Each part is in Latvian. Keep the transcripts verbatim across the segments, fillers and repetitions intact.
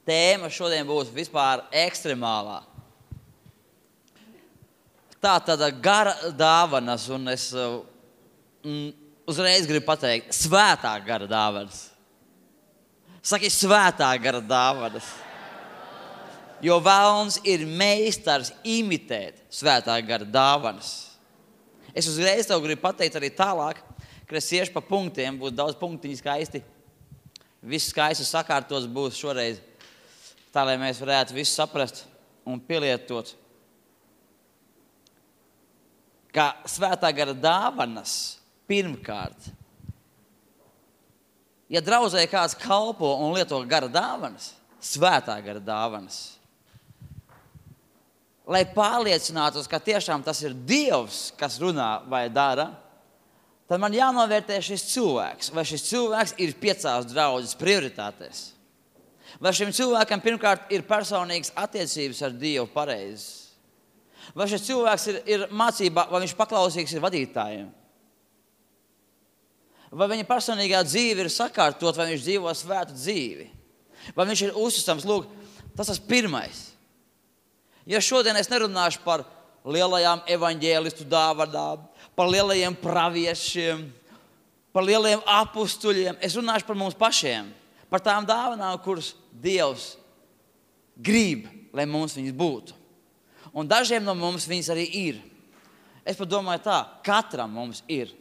tēma šodien būs vispār ekstremālā. Tā tāda gara dāvanas, un es mm, uzreiz gribu pateikt, svētā gara dāvanas. Saki, svētā gara dāvanas. Jo velns ir meistars imitēt svētā gara dāvanas. Es uzreiz tev gribu pateikt arī tālāk, ka es iešu pa punktiem, būs daudz punktiņi skaisti. Viss skaisti sakārtos būs šoreiz, tā lai mēs varētu visu saprast un pielietot. Kā svētā gara dāvanas pirmkārt. Ja draudzē kāds kalpo un lieto gara dāvanas, svētā gara dāvanas, lai pārliecinātos, ka tiešām tas ir Dievs, kas runā vai dara, tad man jānovērtē šis cilvēks. Vai šis cilvēks ir piecās draudzes prioritātēs? Vai šim cilvēkam pirmkārt ir personīgas attiecības ar Dievu pareizes? Vai šis cilvēks ir, ir mācībā, vai viņš paklausīgs ir vadītājiem? Vai viņa personīgā dzīve ir sakārtot, vai viņš dzīvo svētu dzīvi? Vai viņš ir uzticams? Lūk, tas tas pirmais. Ja šodien es nerunāšu par lielajām evaņģēlistu dāvanām, par lielajiem praviešiem, par lielajiem apustuļiem, es runāšu par mums pašiem, par tām dāvanām, kuras Dievs grib, lai mums viņas būtu. Un dažiem no mums viņas arī ir. Es pat domāju tā, katram mums ir.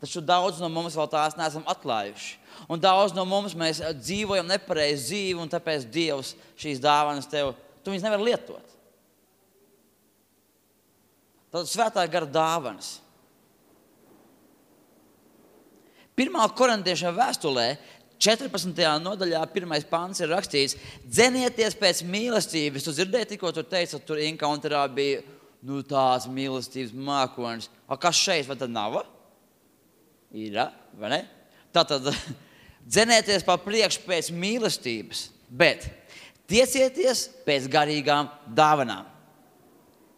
Taču daudz no mums vēl tās neesam atklājuši. Un daudz no mums mēs dzīvojam nepareizi dzīvi, un tāpēc Dievs šīs dāvanas tev, tu viņas nevar lietot. Tad svētā gara dāvanas. Pirmā korintiešiem vēstulē, četrpadsmitajā nodaļā, pirmais pants ir rakstīts, dzenieties pēc mīlestības. Tu dzirdēji tikko, tu teici, tur encounterā bija nu, tās mīlestības mākonis. A, kas šeit, vai tad nav? Ir, vai ne? Tātad dzenieties pa priekšu pēc mīlestības, bet tiecieties pēc garīgām dāvanām.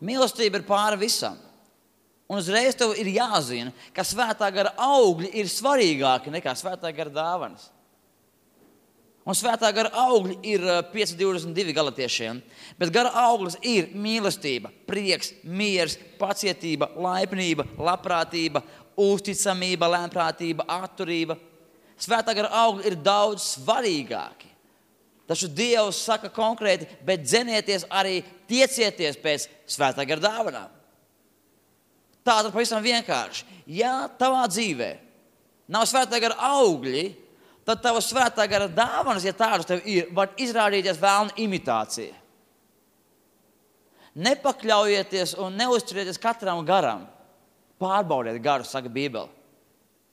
Mīlestība ir pāri visam. Un uzreiz tev ir jāzina, ka svētā gara augļi ir svarīgāki nekā svētā gara dāvanas. Un svētā gara augļi ir pieci divdesmit divi galatiešiem, bet gara auglis ir mīlestība, prieks, miers, pacietība, laipnība, labprātība, uzticamība, lēnprātība, atturība. Svētā gara augļi ir daudz svarīgāki. Taču Dievs saka konkrēti, bet dzenieties arī, tiecieties pēc svētā gara dāvanām. Tā tad pavisam vienkārši. Ja tavā dzīvē nav svētā gara augļi, tad tava svētā gara dāvanas, ja tādas tev ir, var izrādīties vēlna imitācija. Nepakļaujieties un neuzturieties katram garam. Pārbaudiet garus, saka Bībele.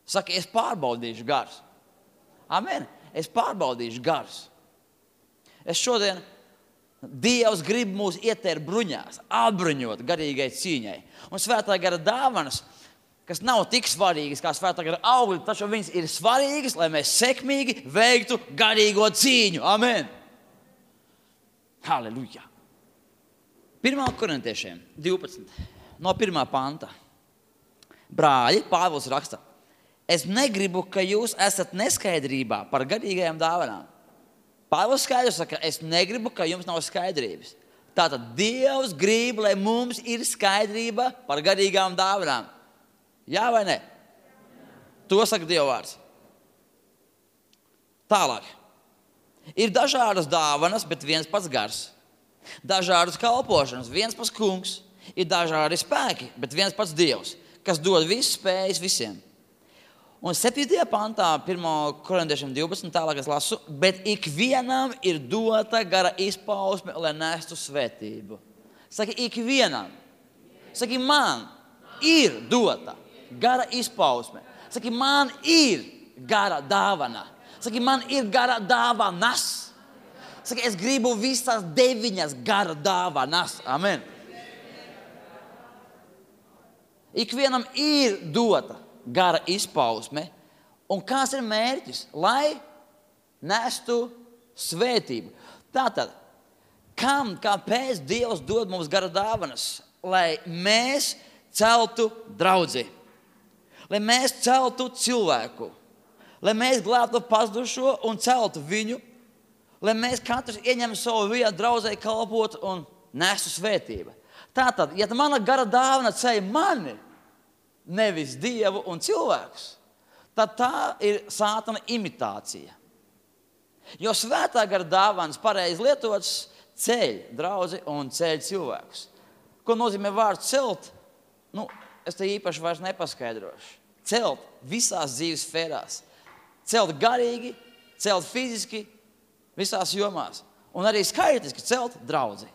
Saka, es pārbaudīšu garus. Amen. Es pārbaudīšu garus. Es šodien, Dievs grib mūs ietērt bruņās, apbruņot garīgai cīņai. Un svētā gara dāvanas, kas nav tik svarīgas kā svētā gara augļi, taču viņas ir svarīgas, lai mēs sekmīgi veiktu garīgo cīņu. Amen. Halleluja. Pirmā korintiešiem divpadsmit, no pirmā panta. Brāļi, Pāvils raksta, es negribu, ka jūs esat neskaidrībā par garīgajām dāvanām. Pāvils skaidrs saka, es negribu, ka jums nav skaidrības. Tātad Dievs grib, lai mums ir skaidrība par garīgām dāvanām. Jā vai ne? To saka Dieva vārds. Tālāk. Ir dažādas dāvanas, bet viens pats gars. Dažādas kalpošanas, viens pats kungs. Ir dažādi spēki, bet viens pats Dievs, kas dod visas spējas visiem. Un septītajā pantā, pirmā korintiešiem divpadsmit, tālāk es lasu, bet ikvienam ir dota gara izpausme, lai nestu svētību. Saki, ikvienam. Saki, man ir dota gara izpausme. Saki, man ir gara dāvana. Saki, man ir gara dāvanas. Saki, es gribu visas deviņas gara dāvanas. Amen. Ikvienam ir dota gara izpausme, un kāds ir mērķis? Lai nestu svētību. Tātad, kam, kāpēc Dievs dod mums gara dāvanas? Lai mēs celtu draudzi, lai mēs celtu cilvēku, lai mēs glābtu pazudušo un celtu viņu, lai mēs katrs ieņem savu vietu draudzē kalpot un nesu svētību. Tātad, ja mana gara dāvana ceļ mani, nevis Dievu un cilvēkus, tad tā ir sātana imitācija. Jo svētā gara dāvanas pareizi lietotas ceļ draudzi un ceļ cilvēkus. Ko nozīmē vārds celt? Nu, es te īpaši vairs nepaskaidrošu. Celt visās dzīves sfērās. Celt garīgi, celt fiziski, visās jomās. Un arī skaitliski celt draudzi.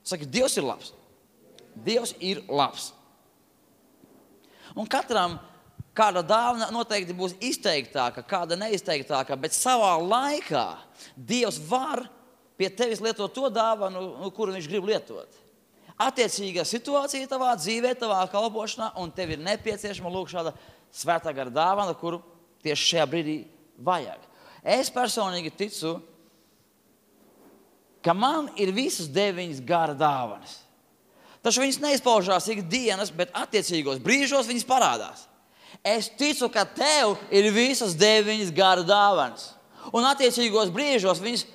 Saka, Dievs ir labs. Dievs ir labs. Un katram kāda dāvana noteikti būs izteiktāka, kāda neizteiktāka, bet savā laikā Dievs var pie tevis lietot to dāvanu, nu, kuru viņš grib lietot. Attiecīgā situācija tavā dzīvē, tavā kalpošanā, un tev ir nepieciešama lūk šāda svētā gara dāvana, kuru tieši šajā brīdī vajag. Es personīgi ticu, ka man ir visas deviņas gara dāvanas. Taču viņas neizpaužās ikdienas, bet attiecīgos brīžos viņas parādās. Es ticu, ka tev ir visas deviņas gara dāvanas. Un attiecīgos brīžos viņas,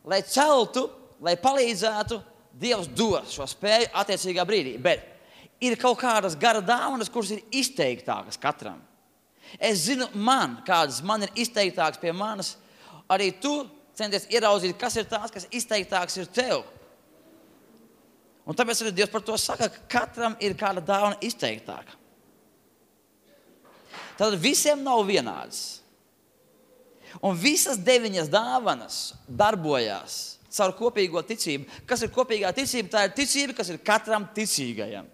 lai celtu, lai palīdzētu, Dievs dos šo spēju attiecīgā brīdī. Bet ir kaut kādas gara dāvanas, kuras ir izteiktākas katram. Es zinu, man, kādas man ir izteiktākas pie manas, arī tu centies ieraudzīt, kas ir tās, kas izteiktāks ir tev. Un tāpēc arī Dievs par to saka, ka katram ir kāda dāvana izteiktāka. Tad visiem nav vienādas. Un visas deviņas dāvanas darbojās caur kopīgo ticību. Kas ir kopīgā ticība? Tā ir ticība, kas ir katram ticīgajam.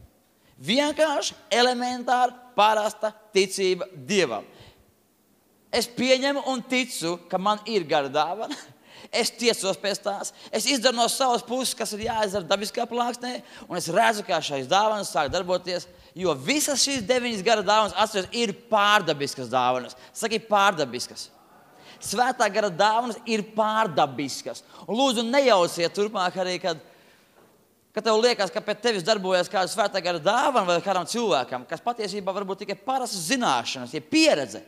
Vienkārši elementāra, parasta ticība Dievam. Es pieņemu un ticu, ka man ir gara dāvana. Es tiecos pēc tās. Es izdaru no savas puses, kas ir jāizdara dabiskā plāksnē, un es redzu, kā šīs dāvanas sāk darboties, jo visas šīs deviņas gara dāvanas, atceries, ir pārdabiskas dāvanas. Saki, pārdabiskas. Svētā gara dāvanas ir pārdabiskas. Un lūdzu, nejauciet turpmāk arī, kad, kad tev liekas, ka pēc tevis darbojas kāda svētā gara dāvana vai kādam cilvēkam, kas patiesībā varbūt tikai parastas zināšanas, ja pieredze,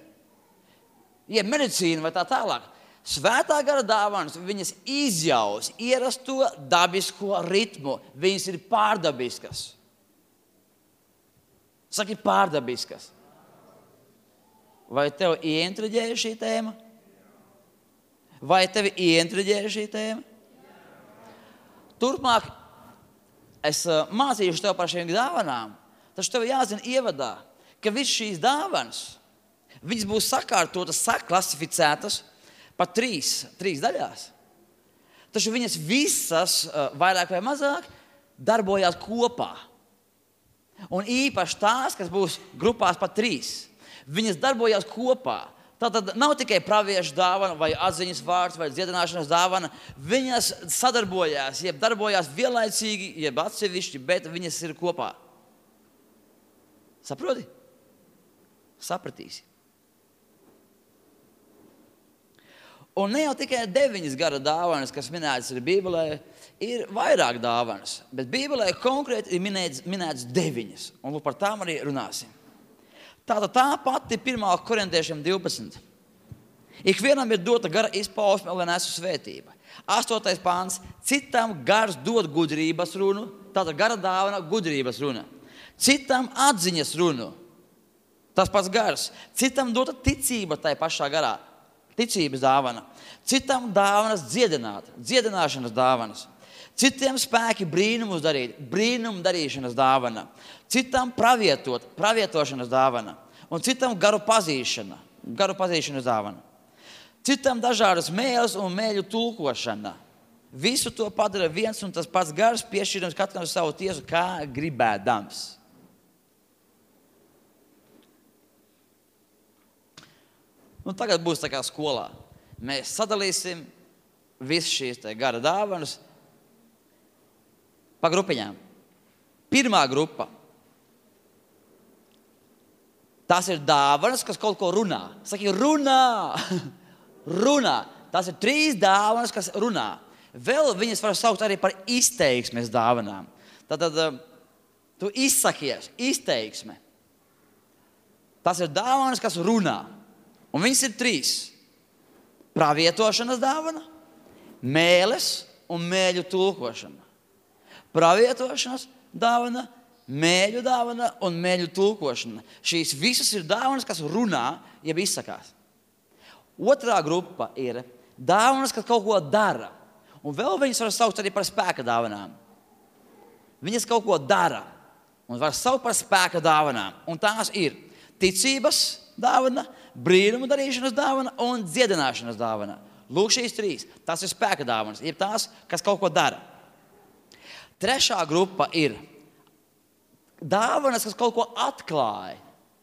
ja medicīna vai tā tālāk. Svētā gara dāvanas, viņas izjaus ierasto dabisko ritmu. Viņas ir pārdabiskas. Saki, pārdabiskas. Vai tev ieintriģēja šī tēma? Vai tevi ieintriģēja šī tēma? Turpmāk es uh, mācīšu tev par šīm dāvanām, taču tev jāzina ievadā, ka visas šīs dāvanas, viņas būs sakārtotas, saklasificētas pa trīs, trīs daļās. Taču viņas visas, uh, vairāk vai mazāk, darbojās kopā. Un īpaši tās, kas būs grupās pa trīs, viņas darbojās kopā. Tātad nav tikai praviešu dāvana vai atziņas vārds vai dziedināšanas dāvana. Viņas sadarbojās, jeb darbojās vienlaicīgi, jeb atsevišķi, bet viņas ir kopā. Saproti? Sapratīsi. Un ne jau tikai deviņas gara dāvanas, kas minētas ir Bībelē, ir vairāk dāvanas. Bet Bībelē konkrēti ir minētas, minētas deviņas. Un lūk, par tām arī runāsim. Tātad tā pati pirmā korintiešiem divpadsmit. Ikvienam ir dota gara izpausme, lai nesu svētība. Astotais pāns. Citam gars dod gudrības runu. Tātad gara dāvana gudrības runa. Citam atziņas runu. Tas pats gars. Citam dota ticība tai pašā garā. Ticības dāvana. Citam dāvanas dziedināt. Dziedināšanas dāvanas. Citiem spēki brīnumus darīt, brīnumu darīšanas dāvana. Citam pravietot, pravietošanas dāvana. Un citam garu pazīšana, garu pazīšanas dāvana. Citam dažādas mēles un mēļu tulkošana. Visu to padara viens un tas pats gars, piešķirams katram savu tiesu, kā gribēdams. Nu, tagad būs tā kā skolā. Mēs sadalīsim visas šīs te gara dāvanas pa grupiņām. Pirmā grupa. Tās ir dāvanas, kas kaut ko runā. Saki, runā! Runā. Tās ir trīs dāvanas, kas runā. Vēl viņas var saukt arī par izteiksmes dāvanām. Tātad tu izsakies, izteiksme. Tās ir dāvanas, kas runā. Un viņas ir trīs. Pravietošanas dāvana, mēles un mēļu tulkošana. Pravietošanas dāvana, mēļu dāvana un mēļu tulkošana. Šīs visas ir dāvanas, kas runā, jeb izsakās. Otrā grupa ir dāvanas, kas kaut ko dara. Un vēl viņas var saukt arī par spēka dāvanām. Viņas kaut ko dara un var saukt par spēka dāvanām. Un tās ir ticības dāvana, brīnumu darīšanas dāvana un dziedināšanas dāvana. Lūk, šīs trīs. Tās ir spēka dāvanas, ir tās, kas kaut ko dara. Trešā grupa ir dāvanas, kas kaut ko atklāja.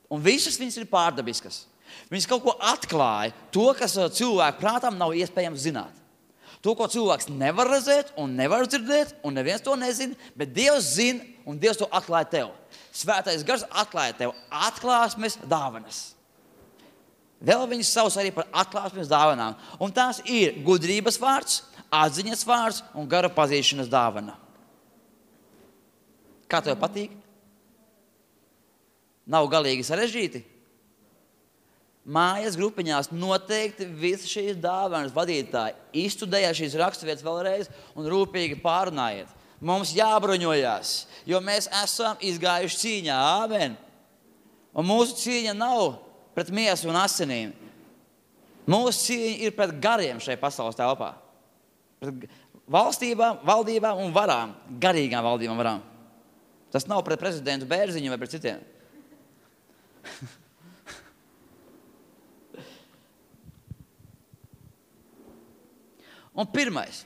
Un visas viņas ir pārdabiskas. Viņas kaut ko atklāja, to, kas cilvēku prātam nav iespējams zināt. To, ko cilvēks nevar redzēt un nevar dzirdēt, un neviens to nezina, bet Dievs zina, un Dievs to atklāja tev. Svētais gars atklāja tev atklāsmes dāvanas. Vēl viņas sauc arī par atklāsmes dāvanām. Un tās ir gudrības vārds, atziņas vārds un gara pazīšanas dāvana. Kā tev patīk? Nav galīgi sarežģīti? Mājas grupiņās noteikti visas šīs dāvanas vadītāji izstudēja šīs raksturvietas vēlreiz un rūpīgi pārunājiet. Mums jābruņojās, jo mēs esam izgājuši cīņā. Āmen. Un mūsu cīņa nav pret miesu un asinīm. Mūsu cīņa ir pret gariem šai pasaules telpā. Pret valstībām, valdībām un varām, garīgām valdībām varām. Tas nav pret prezidentu Bērziņu vai pret citiem. Un pirmais.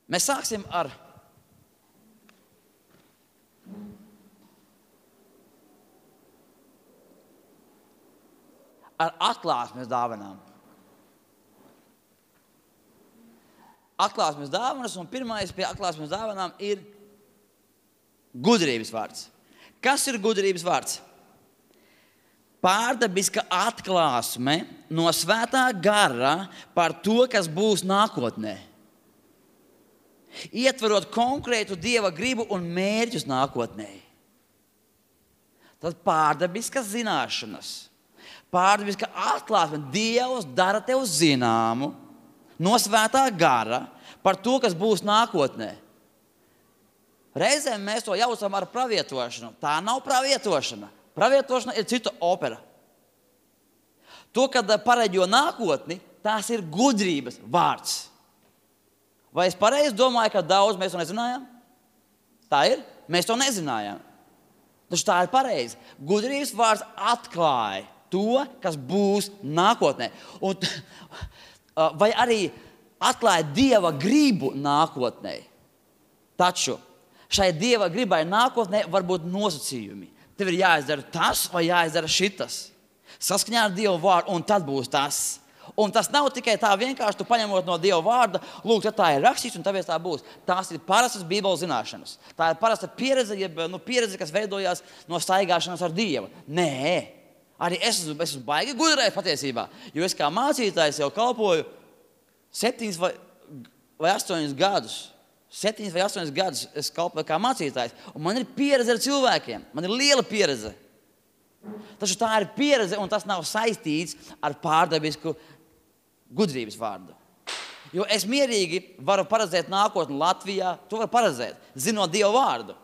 Mēs sāksim ar ar atklāsmes dāvanām. Atklāsmes dāvanas, un pirmais pie atklāsmes dāvanām ir gudrības vārds. Kas ir gudrības vārds? Pārdabiska atklāsme no svētā gara par to, kas būs nākotnē. Ietverot konkrētu Dieva gribu un mērķus nākotnē. Tad pārdabiskas zināšanas, pārdabiska atklāsme. Dievs dara tev zināmu no svētā gara par to, kas būs nākotnē. Reizēm mēs to jaucam ar pravietošanu. Tā nav pravietošana. Pravietošana ir cita opera. To, kad pareģo nākotni, tās ir gudrības vārds. Vai es pareizi domāju, ka daudz mēs to nezinājām? Tā ir? Mēs to nezinājām. Taču tā ir pareizi. Gudrības vārds atklāja to, kas būs nākotnē. Un, vai arī atklāja Dieva gribu nākotnē. Taču šai Dieva gribai nākotnē var būt nosacījumi. Tev ir jāizdara tas vai jāizdara šitas. Saskaņā ar Dieva vārdu, un tad būs tas. Un tas nav tikai tā vienkārši, tu paņemot no Dieva vārda, lūk, tā ir rakstīts, un tāpēc tā būs. Tās ir parastas Bībeles zināšanas. Tā ir parasta pieredze, jeb, nu, pieredze, kas veidojās no staigāšanas ar Dievu. Nē, arī es esmu, es esmu baigi gudrējis patiesībā, jo es kā mācītājs jau kalpoju septiņus vai, vai astoņus gadus. Septiņus vai astoņus gadus es kalpoju kā mācītājs, un man ir pieredze ar cilvēkiem. Man ir liela pieredze. Taču tā ir pieredze, un tas nav saistīts ar pārdabisku gudrības vārdu. Jo es mierīgi varu paredzēt nākotni Latvijā, to varu paredzēt, zinot Dieva vārdu.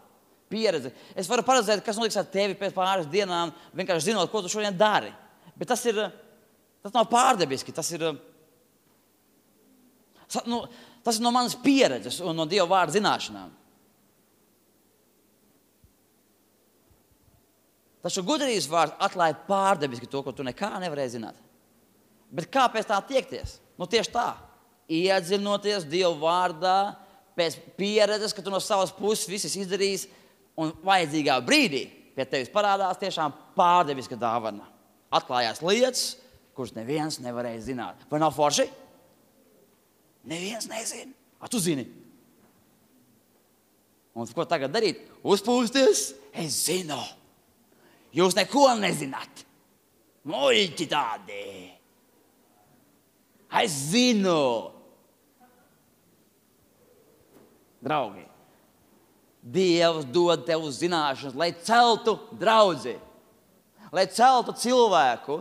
Pieredze. Es varu paredzēt, kas notiks ar tevi pēc pāris dienām, vienkārši zinot, ko tu šodien dari. Bet tas ir, tas nav pārdabiski, tas ir, nu, tas ir no manas pieredzes un no Dieva vārda zināšanām. Taču gudrības vārds atklāja pārdabiski to, ko tu nekā nevarēji zināt. Bet kā pēc tā tiekties? Nu tieši tā. Iedzinoties Dieva vārdā, pēc pieredzes, ka tu no savas puses viss izdarījis, un vajadzīgā brīdī pie tevis parādās tiešām pārdabiska dāvana. Atklājās lietas, kuras neviens nevarēja zināt. Vai nav forši? Neviens nezina. A, tu zini. Un ko tagad darīt? Uzpūsties? Es zinu. Jūs neko nezināt. Muļķi tādi. Es zinu. Draugi, Dievs dod tev zināšanas, lai celtu draudzi, lai celtu cilvēku,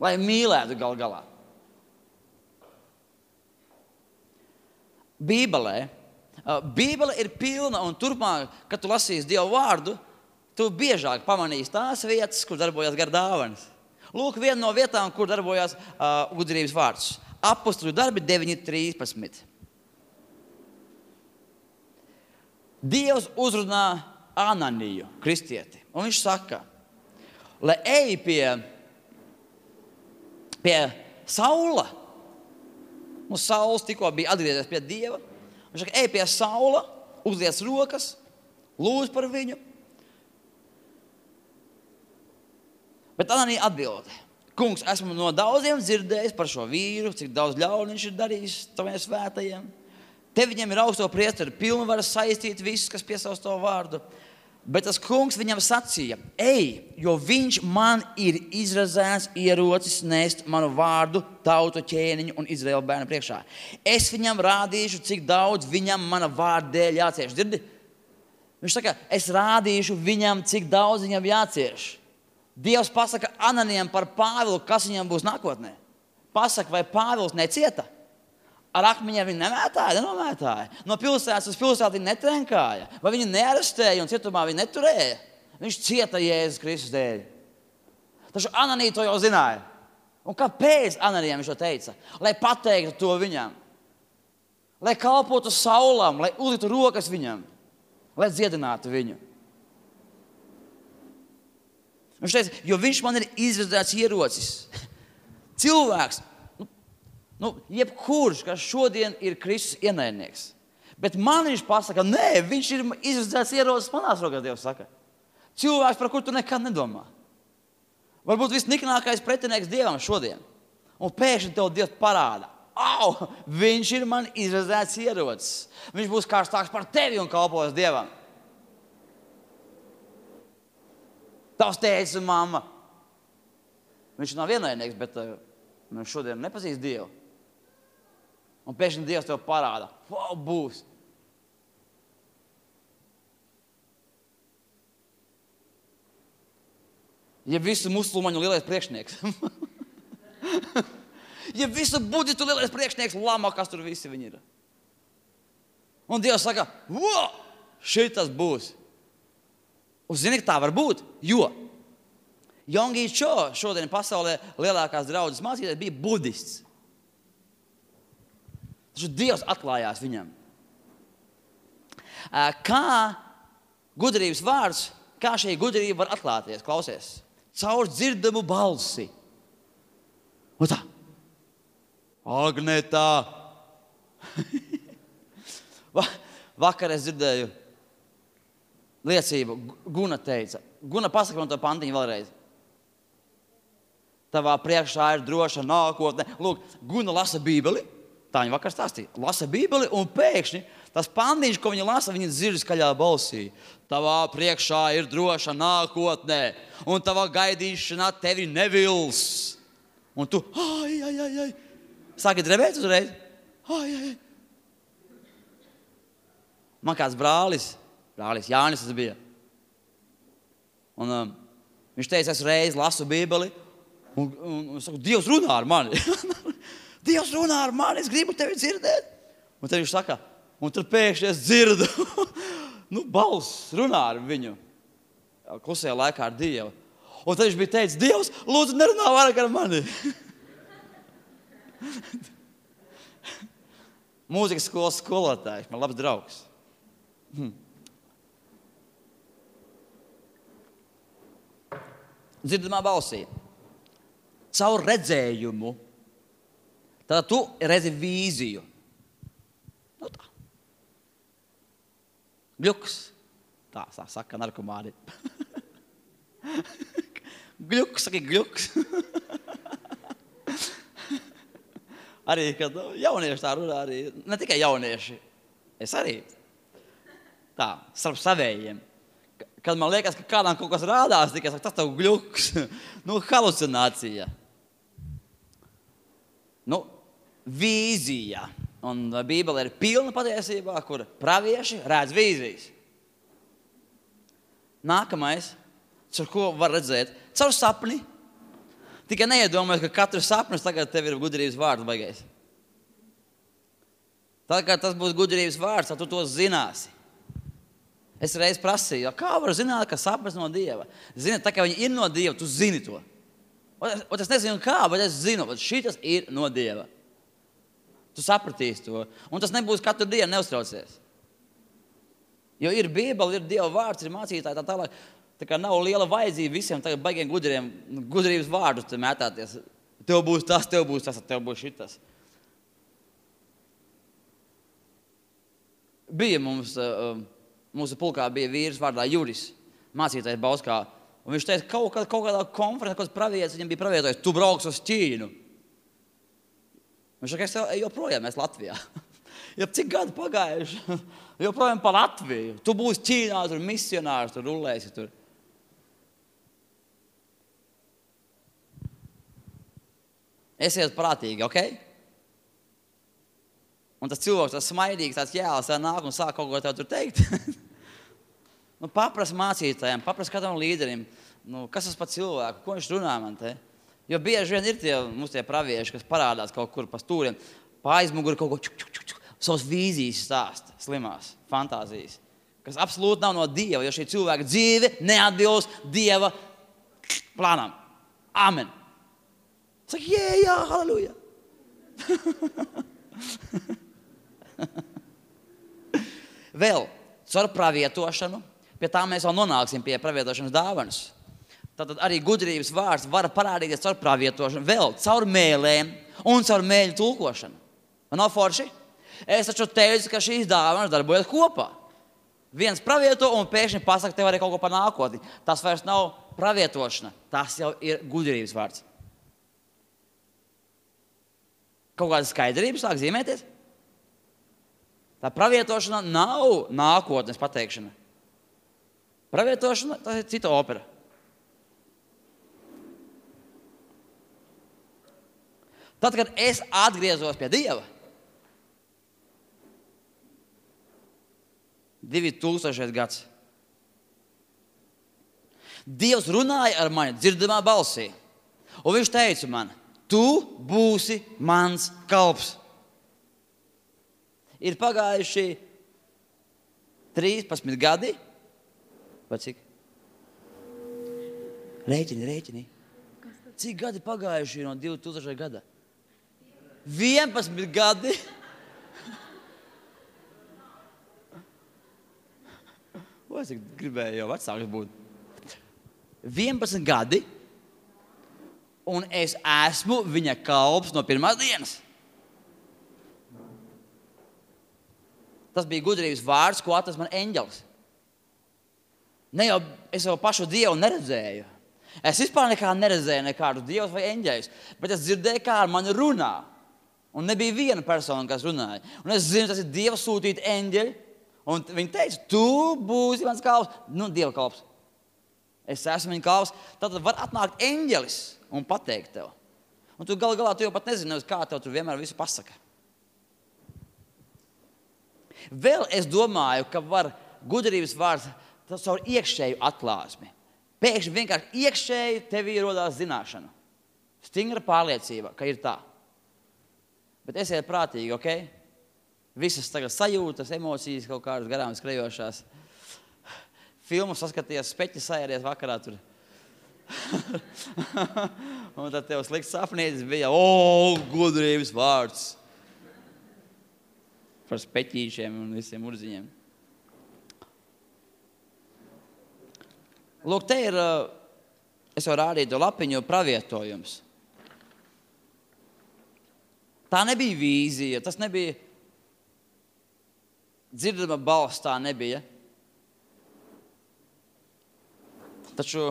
Lai mīlētu gal galā. Bībelē, Bībele ir pilna, un turpmāk, kad tu lasīsi Dievu vārdu, tu biežāk pamanīsi tās vietas, kur darbojas gar dāvanas. Lūk, viena no vietām, kur darbojas uh, gudrības vārds. Apostoļu darbi deviņi trīspadsmit. Dievs uzrunā Ananiju, kristieti, un viņš saka, lai ej pie, pie Saula. Nu, Sauls tikko bija atgriezies pie Dieva. Viņš saka, ej pie Saula, uzliec rokas, lūdz par viņu. Bet Ananija atbild, kungs, esmu no daudziem dzirdējis par šo vīru, cik daudz ļaunu viņš ir darījis taviem svētajiem. Te viņam ir augsto priesteru pilnvaras saistīt visus, kas piesauc to vārdu. Bet tas kungs viņam sacīja, ej, jo viņš man ir izrazēts ierocis nest manu vārdu, tautu ķēniņu un Izraēla bērnu priekšā. Es viņam rādīšu, cik daudz viņam mana vārda dēļ jācieš. Dzirdi? Viņš saka, es rādīšu viņam, cik daudz viņam jācieš. Dievs pasaka Ananijam par Pāvilu, kas viņam būs nākotnē. Pasaka, vai Pāvils necieta? Ar akmeņiem viņu nemētāja, nenomētāja. No pilsētas uz pilsētu viņu netrenkāja. Vai viņu nearestēja un cietumā viņu neturēja. Viņš cieta Jēzus Kristus dēļ. Taču Ananija to jau zināja. Un kāpēc Ananijam viņš to teica? Lai pateiktu to viņam. Lai kalpotu Saulam, lai uzliktu rokas viņam. Lai dziedinātu viņu. Viņš teica, jo viņš man ir izredzēts ierocis. Cilvēks. Nu, jebkurš, kas šodien ir Kristus ienaidnieks. Bet man viņš pasaka, nē, viņš ir izredzēts ierocis manās rokās, Dievs saka. Cilvēks, par kuru tu nekad nedomā. Varbūt visniknākais pretinieks Dievam šodien. Un pēkšņi tev Dievs parāda, au, viņš ir man izredzēts ierocis. Viņš būs kārstāks par tevi un kalpos Dievam. Tavs tētis un mamma. Viņš nav ienaidnieks, bet uh, viņš šodien nepazīst Dievu. Un pēkšņi Dievs tev parāda, wow, būs. Ja visu musulmaņu lielais priekšnieks. Ja visu budistu lielais priekšnieks, lama, kas tur visi viņi ir. Un Dievs saka, wow, šitas būs. Un zini, ka tā var būt, jo Yonggi Cho šodien pasaulē lielākās draudzes mācītājs bija budists. Taču Dievs atklājās viņam. Kā gudrības vārds, kā šī gudrība var atklāties, klausies, caur dzirdamu balsi. Un tā, Agnetā. Vakar es dzirdēju liecību, Guna teica. Guna, pasaka man to pantiņu vēlreiz. Tavā priekšā ir droša nākotne. Lūk, Guna lasa Bībeli. Tā viņa vakar stāstīja. Lasa Bībeli un pēkšņi tas pandiņš, ko viņa lasa, viņa dzird skaļā balsī. Tavā priekšā ir droša nākotne un tavā gaidīšanā tevi nevils. Un tu, ai, ai, ai, ai. Sāki drebēt uzreiz. Ai, ai, ai. Man kāds brālis, brālis Jānis tas bija. Un um, viņš teica, es reiz lasu Bībeli un, un, un saku, Dievs runā ar mani. Dievs runā ar mani, es gribu tevi dzirdēt. Un tad viņš saka, un tad pēkšņi es dzirdu, nu, balss runā ar viņu. Klusajā laikā ar Dievu. Un tad viņš bija teicis, Dievs, lūdzu, nerunā vairāk ar mani. Mūzikas skolas skolotājs, man labs draugs. Hmm. Dzirdamā balsī. Caur redzējumu. Tad tu redzi vīziju. Nu tā. Gļuks. Tā, tā saka narkomāni. Gļuks, saka gļuks. Arī, kad jaunieši tā runā, arī, ne tikai jaunieši, es arī tā, starp savējiem. Kad man liekas, ka kādām kaut kas rādās, tikai saka, tas tev gļuks. Nu, halucinācija. Nu, vīzija. Un Bībele ir pilna patiesībā, kur pravieši redz vīzijas. Nākamais, caur ko var redzēt? Caur sapni. Tikai neiedomājies, ka katrs sapnis tagad tev ir gudrības vārds baigais. Tad, kad tas būs gudrības vārds, tad tu to zināsi. Es reiz prasīju, kā var zināt, ka sapnis no Dieva? Zini, tā kā viņi ir no Dieva, tu zini to. Un es nezinu kā, bet es zinu, ka šitas ir no Dieva. Tu sapratīsi to. Un tas nebūs katru dienu, neuztraucies. Jo ir Bībele, ir Dieva vārds, ir mācītāji, tā tālāk. Tā kā nav liela vajadzība visiem tagad baigiem gudriem, gudrības vārdus te mētāties. Tev būs tas, tev būs tas, tev būs šitas. Bija mums, mūsu pulkā bija vīrs vārdā Juris, mācītājs Bauskā. Un viņš teica, kaut, kā, kaut kādā konferencē, kaut kāds pravietis, viņam bija pravietojis, tu brauks uz Ķīnu. Viņš saka, es joprojām mēs Latvijā. Ja cik gadi pagājuši, joprojām pa Latviju. Tu būsi Ķīnā, tur misionārs, tur rullēsi tur. Esiet prātīgi, ok? Un tas cilvēks, tas smaidīgs, tāds jēls, tā nāk un sāk kaut ko tev tur teikt. Nu, papras mācītājiem, papras kādam līderim, nu, kas tas pa cilvēku, ko viņš runā man te? Jo bieži vien ir tie, mums tie pravieši, kas parādās kaut kur pa stūriem, pa aizmuguri kaut ko čuk, čuk, čuk, čuk, savas vīzijas stāsta, slimās, fantāzijas, kas absolūti nav no Dieva, jo šī cilvēka dzīve neatbilst Dieva plānam. Amen. Saka, jē, jā, halleluja. Vēl, caur pravietošanu, pie tā mēs vēl nonāksim pie pravietošanas dāvanas. Tātad arī gudrības vārds var parādīties caur pravietošanu, vēl caur mēlēm un caur mēļu tulkošanu. Man nav forši? Es taču teicu, ka šīs dāvanas darbojas kopā. Viens pravieto un pēkšņi pasaka tev arī kaut ko par nākotni. Tas vairs nav pravietošana, tas jau ir gudrības vārds. Kaut kāda skaidrība sāk zīmēties? Tā pravietošana nav nākotnes pateikšana. Pravietošana, tas ir cita opera. Tad, kad es atgriezos pie Dieva, divi tūkstošais gads, Dievs runāja ar mani dzirdamā balsī, un viņš teica man, tu būsi mans kalps. Ir pagājuši trīspadsmit gadi, vai cik? Rēķini, rēķini. Cik gadi pagājuši no divi tūkstošā gada? vienpadsmit gadi. O, es gribēju jau vecāks būt. vienpadsmit gadi, un es esmu viņa kalps no pirmās dienas. Tas bija gudrības vārds, ko atnes man eņģelis. Ne jau, es jau pašu Dievu neredzēju. Es vispār nekā neredzēju nekādu Dievus vai eņģeļus, bet es dzirdēju, kā ar mani runā. Un nebija viena persona, kas runāja. Un es zinu, tas ir Dieva sūtīti eņģeļi. Un viņi teica, tu būsi mans kalps. Nu, Dieva kalps. Es esmu viņa kalps. Tad var atnākt eņģelis un pateikt tev. Un tu gal galā tu jau pat nezini, kā tev tur vienmēr visu pasaka. Vēl es domāju, ka var gudrības vārds caur iekšēju atklāsmi. Pēkšņi vienkārši iekšēji tevī rodās zināšana. Stingra pārliecība, ka ir tā. Bet esiet prātīgi, ok? Visas tagad sajūtas, emocijas kaut kādas garām skrejošās. Filmu saskaties, speķi sajāries vakarā tur. Un tad tev slikts sapnītis bija, o, gudrības vārds. Par speķīšiem un visiem urziņiem. Lūk, te ir, es jau rādīju to lapiņu, pravietojums. Tā nebija vīzija, tas nebija dzirdama balss, tā nebija. Taču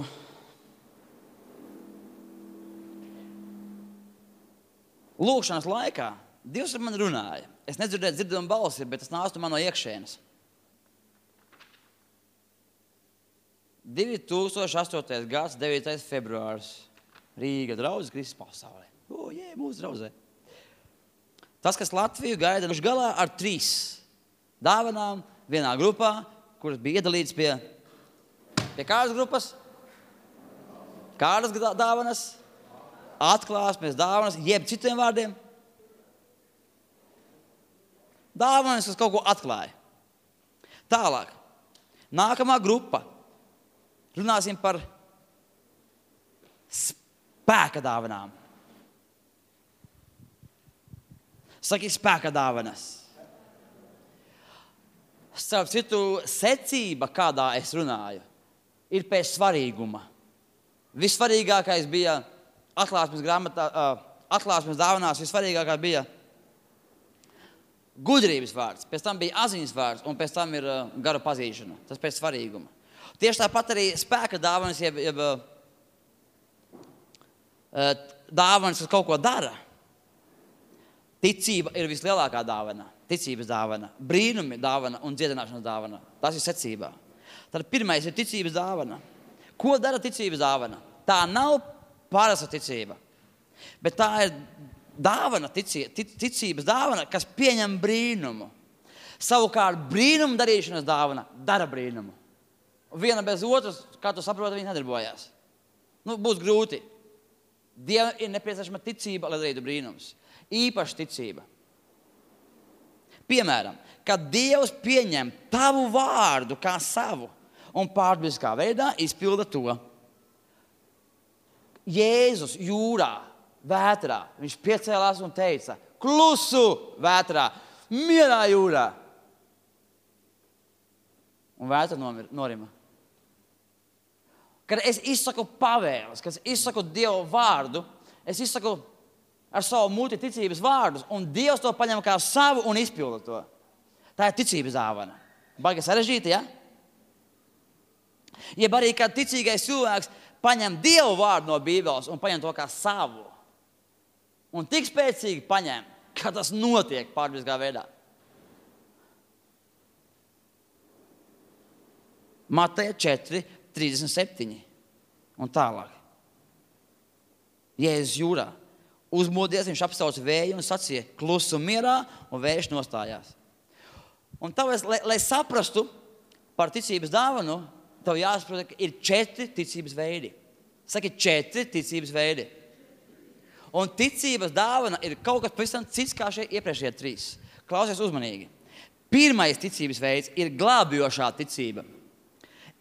lūkšanas laikā Dievs ar mani runāja. Es nedzirdēju dzirdamu balsi, bet tas nāca man no iekšienes. divi tūkstoši astotais gads, devītais februārs. Rīga draudzes Kristus pasaulē. O, jē, mūsu draudzē. Tas, kas Latviju gaida galā ar trīs dāvanām vienā grupā, kuras bija iedalīts pie, pie kādas grupas? Kādas dāvanas? atklāsmes, dāvanas, jeb citiem vārdiem. Dāvanas, kas kaut ko atklāja. Tālāk. Nākamā grupa. Runāsim par spēka dāvanām. Saki, spēka dāvanas. Starp citu, secība, kādā es runāju, ir pēc svarīguma. Vissvarīgākais bija atklāsmes grāmatā, atklāsmes dāvanās, vissvarīgākā bija gudrības vārds, pēc tam bija atziņas vārds, un pēc tam ir garu pazīšana. Tas pēc svarīguma. Tieši tāpat arī spēka dāvanas, jeb, jeb dāvanas, kas kaut ko dara. Ticība ir vislielākā dāvana, ticības dāvana, brīnumi dāvana un dziedināšanas dāvana. Tas ir secībā. Tad pirmais ir ticības dāvana. Ko dara ticības dāvana? Tā nav parasta ticība, bet tā ir dāvana, ticī, ticības dāvana, kas pieņem brīnumu. Savukārt brīnumu darīšanas dāvana dara brīnumu. Viena bez otras, kā tu saproti, viņi nedarbojās. Nu, būs grūti. Dievam ir nepieciešama ticība, lai darītu brīnums. Īpaša ticība. Piemēram, kad Dievs pieņem tavu vārdu kā savu un pārdabiskā veidā izpilda to. Jēzus jūrā, vētrā, viņš piecēlās un teica, klusu vētrā, mierā jūrā. Un vētra norima. Kad es izsaku pavēles, kad es izsaku Dievu vārdu, es izsaku ar savu muti ticības vārdus, un Dievs to paņem kā savu un izpilda to. Tā ir ticības dāvana. Baigi sarežģīta, ja? Jeb arī, kad ticīgais cilvēks paņem Dievu vārdu no Bībeles un paņem to kā savu. Un tik spēcīgi paņem, ka tas notiek pārdabiskā veidā. Mateja četri, trīsdesmit septiņi un tālāk. Jēzus jūrā. Uzmodies, viņš apsauca vēju un sacīja, klusu mierā, un vējš nostājās. Un tāpēc, lai, lai saprastu par ticības dāvanu, tev jāsaprot, ka ir četri ticības veidi. Saki, četri ticības veidi. Un ticības dāvana ir kaut kas pavisam cits kā šie iepriekšējie trīs. Klausies uzmanīgi. Pirmais ticības veids ir glābjošā ticība.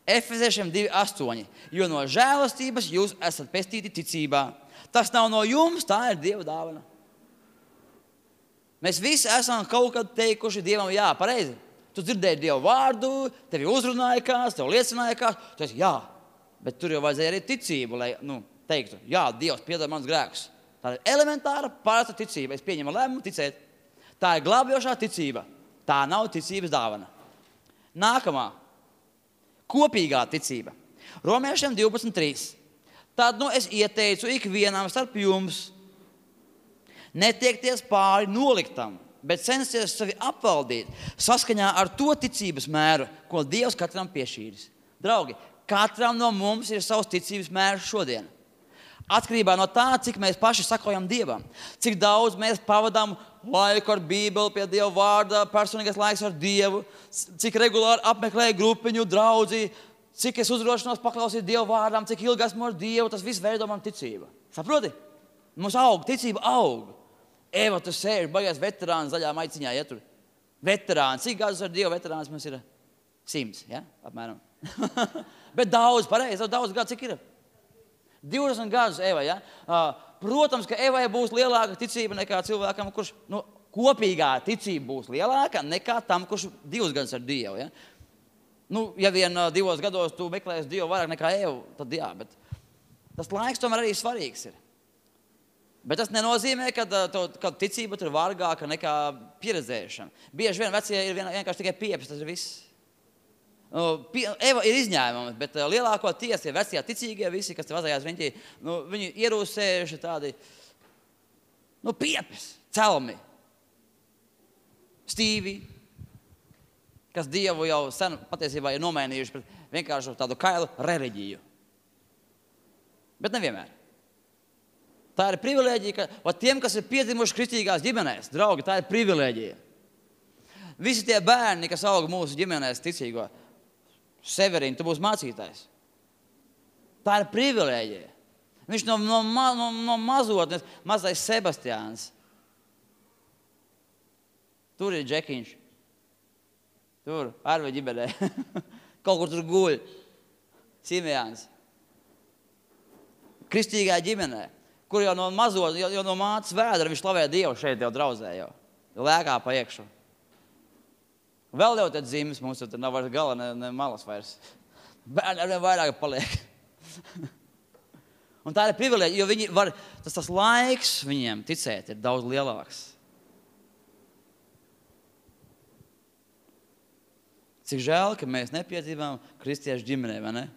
Efeziešiem divi astoņi. Jo no žēlastības jūs esat pestīti ticībā. Tas nav no jums, tā ir Dieva dāvana. Mēs visi esam kaut kad teikuši Dievam jā, pareizi. Tu dzirdēji Dievu vārdu, tevi uzrunāja kāds, tev liecināja kāds. Tu esi jā, bet tur jau vajadzēja arī ticību, lai nu, teiktu, jā, Dievs piedod mans grēkus. Tā ir elementāra, parasta ticība. Es pieņemu lēmumu ticēt. Tā ir glābjošā ticība. Tā nav ticības dāvana. Nākamā. Kopīgā ticība. Romiešiem divpadsmit trīs. Tad nu es ieteicu ikvienam starp jums netiekties pāri noliktam, bet censties sevi apvaldīt saskaņā ar to ticības mēru, ko Dievs katram piešķīris. Draugi, katram no mums ir savs ticības mērs šodien. Atkarībā no tā, cik mēs paši sakojam Dievam, cik daudz mēs pavadām laiku ar Bībeli pie Dieva vārda, personīgais laiks ar Dievu, cik regulāri apmeklēju grupiņu, draudzi, cik es uzdrošinos paklausīt Dieva vārdām, cik ilgi esmu ar Dievu, tas viss veido man ticība. Saproti? Mums aug, ticība aug. Eva, tu sēži, baigās veterāns zaļā maiciņā, ja tur. Veterāns, cik gadus ar Dievu veterāns mums ir? Simts, ja? Apmēram. Bet daudz, pareizi, daudz gadu, cik ir? divdesmit gadus Evai, ja? Protams, ka Evai būs lielāka ticība nekā cilvēkam, kurš, nu, kopīgā ticība būs lielāka nekā tam, kurš divus gadus ar Dievu, ja? Nu, ja vien uh, divos gados tu meklēsi Dievu vairāk nekā Evu, tad jā, bet tas laiks tomēr arī svarīgs ir. Bet tas nenozīmē, ka, uh, ka ticība tur vārgāka nekā pieredzēšana. Bieži vien vecie ir vien, vienkārši tikai piepes, tas ir viss. Uh, pie, Eva ir izņēmums, bet uh, lielāko tiesa ir vecie ticīgie visi, kas te vazājās riņķī, nu, viņi ierūsējuši tādi, nu, piepes, celmi, stīvi, kas Dievu jau sen patiesībā ir nomainījuši pret vienkārši tādu kailu reliģiju. Bet nevienmēr. Tā ir privilēģija, ka va, tiem, kas ir piedzimuši kristīgās ģimenēs, draugi, tā ir privilēģija. Visi tie bērni, kas aug mūsu ģimenēs ticīgo, Severīna, tu būsi mācītājs. Tā ir privilēģija. Viņš no, no, no, no mazotnes, mazais Sebastiāns. Tur ir Džekiņš. Tur, Arve ģimenē. Kaut kur tur guļ. Simejāns. Kristīgā ģimenē, kur jau no mazot, jau, jau no mātes vēdra viņš slavē Dievu šeit jau draudzē jau. Lēkā pa iekšu. Vēl jau tad zīmes mums, tur nav vairs gala, ne, ne malas vairs. Bērni ar vien vairāk paliek. Un tā ir privilēģija, jo viņi var, tas, tas laiks viņiem ticēt ir daudz lielāks. Cik žēl, ka mēs nepiedzīvām kristiešu ģimenē, vai ne?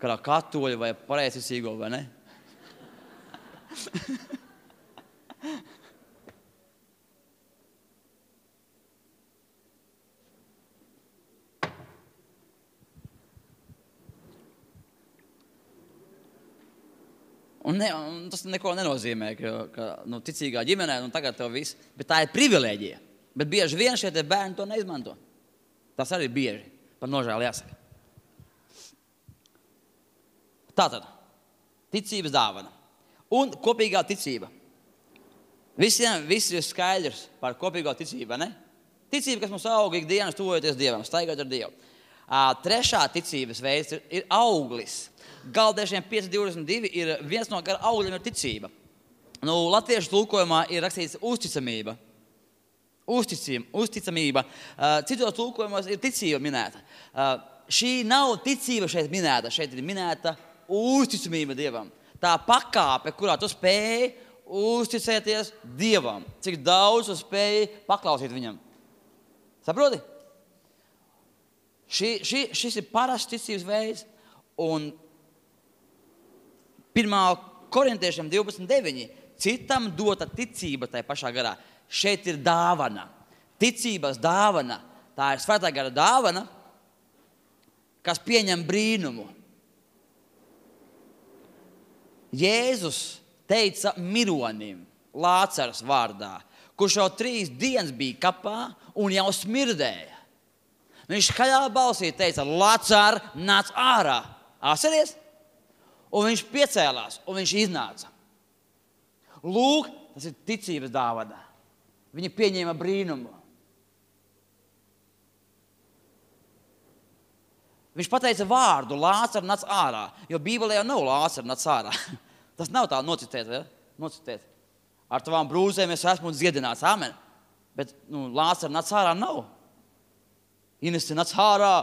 Kādā katoļu vai pareizticīgo, vai ne? Un, ne, un tas neko nenozīmē, ka, ka nu, ticīgā ģimenē, nu tagad tev viss, bet tā ir privilēģija. Bet bieži vien šie te bērni to neizmanto. Tas arī bieži, par nožēlu jāsaka. Tātad, ticības dāvana un kopīgā ticība. Visiem viss ir skaidrs par kopīgo ticību, ne? Ticība, kas mums aug ikdienas tuvojoties Dievam, staigāt ar Dievu. Uh, trešā ticības veids ir, ir auglis. Galdiešiem pieci divdesmit divi ir viens no augļiem ir ticība. Nu, latviešu tulkojumā ir rakstīts uzticamība. Uzticim, uzticamība. Uh, citos tulkojumos ir ticība minēta. Uh, šī nav ticība šeit minēta. Šeit ir minēta uzticamība Dievam. Tā pakāpe, kurā tu spēji uzticēties Dievam. Cik daudz tu spēji paklausīt viņam. Saproti? Šī, šī, šis ir parasts ticības veids. Un pirmā korintiešiem divpadsmit deviņi. Citam dota ticība tajā pašā garā. Šeit ir dāvana. Ticības dāvana. Tā ir svētā gara dāvana, kas pieņem brīnumu. Jēzus teica mironim, Lācars vārdā, kurš jau trīs dienas bija kapā un jau smirdēja. Viņš skaļā balsī teica, Lācar, nāc ārā. Atceries? Un viņš piecēlās, un viņš iznāca. Lūk, tas ir ticības dāvana. Viņi pieņēma brīnumu. Viņš pateica vārdu, Lācar, nāc ārā, jo Bībelē jau nav Lācar, nāc ārā. Tas nav tā nocitēt, ja? Nocitēt. Ar tavām brūzēm es esmu dziedināts, amen. Bet, nu, Lācar, nāc ārā nav. Inesi, nāc ārā.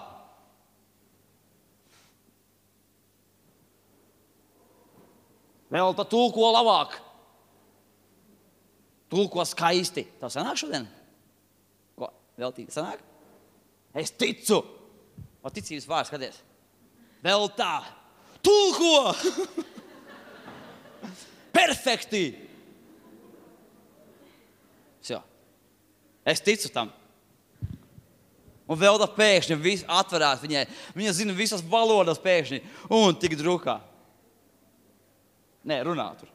Vēl tā tulko labāk. Tulko skaisti. Tev sanāk šodien? Ko? Vēl tī sanāk? Es ticu. O ticības vārds, skaties. Vēl tā. Tulko! Perfekti! Sjā. Es ticu tam. Un vēl tā pēkšņi viss atverās viņai. Viņa zina visas valodas pēkšņi. Un tik drukā. Nē, runā tur.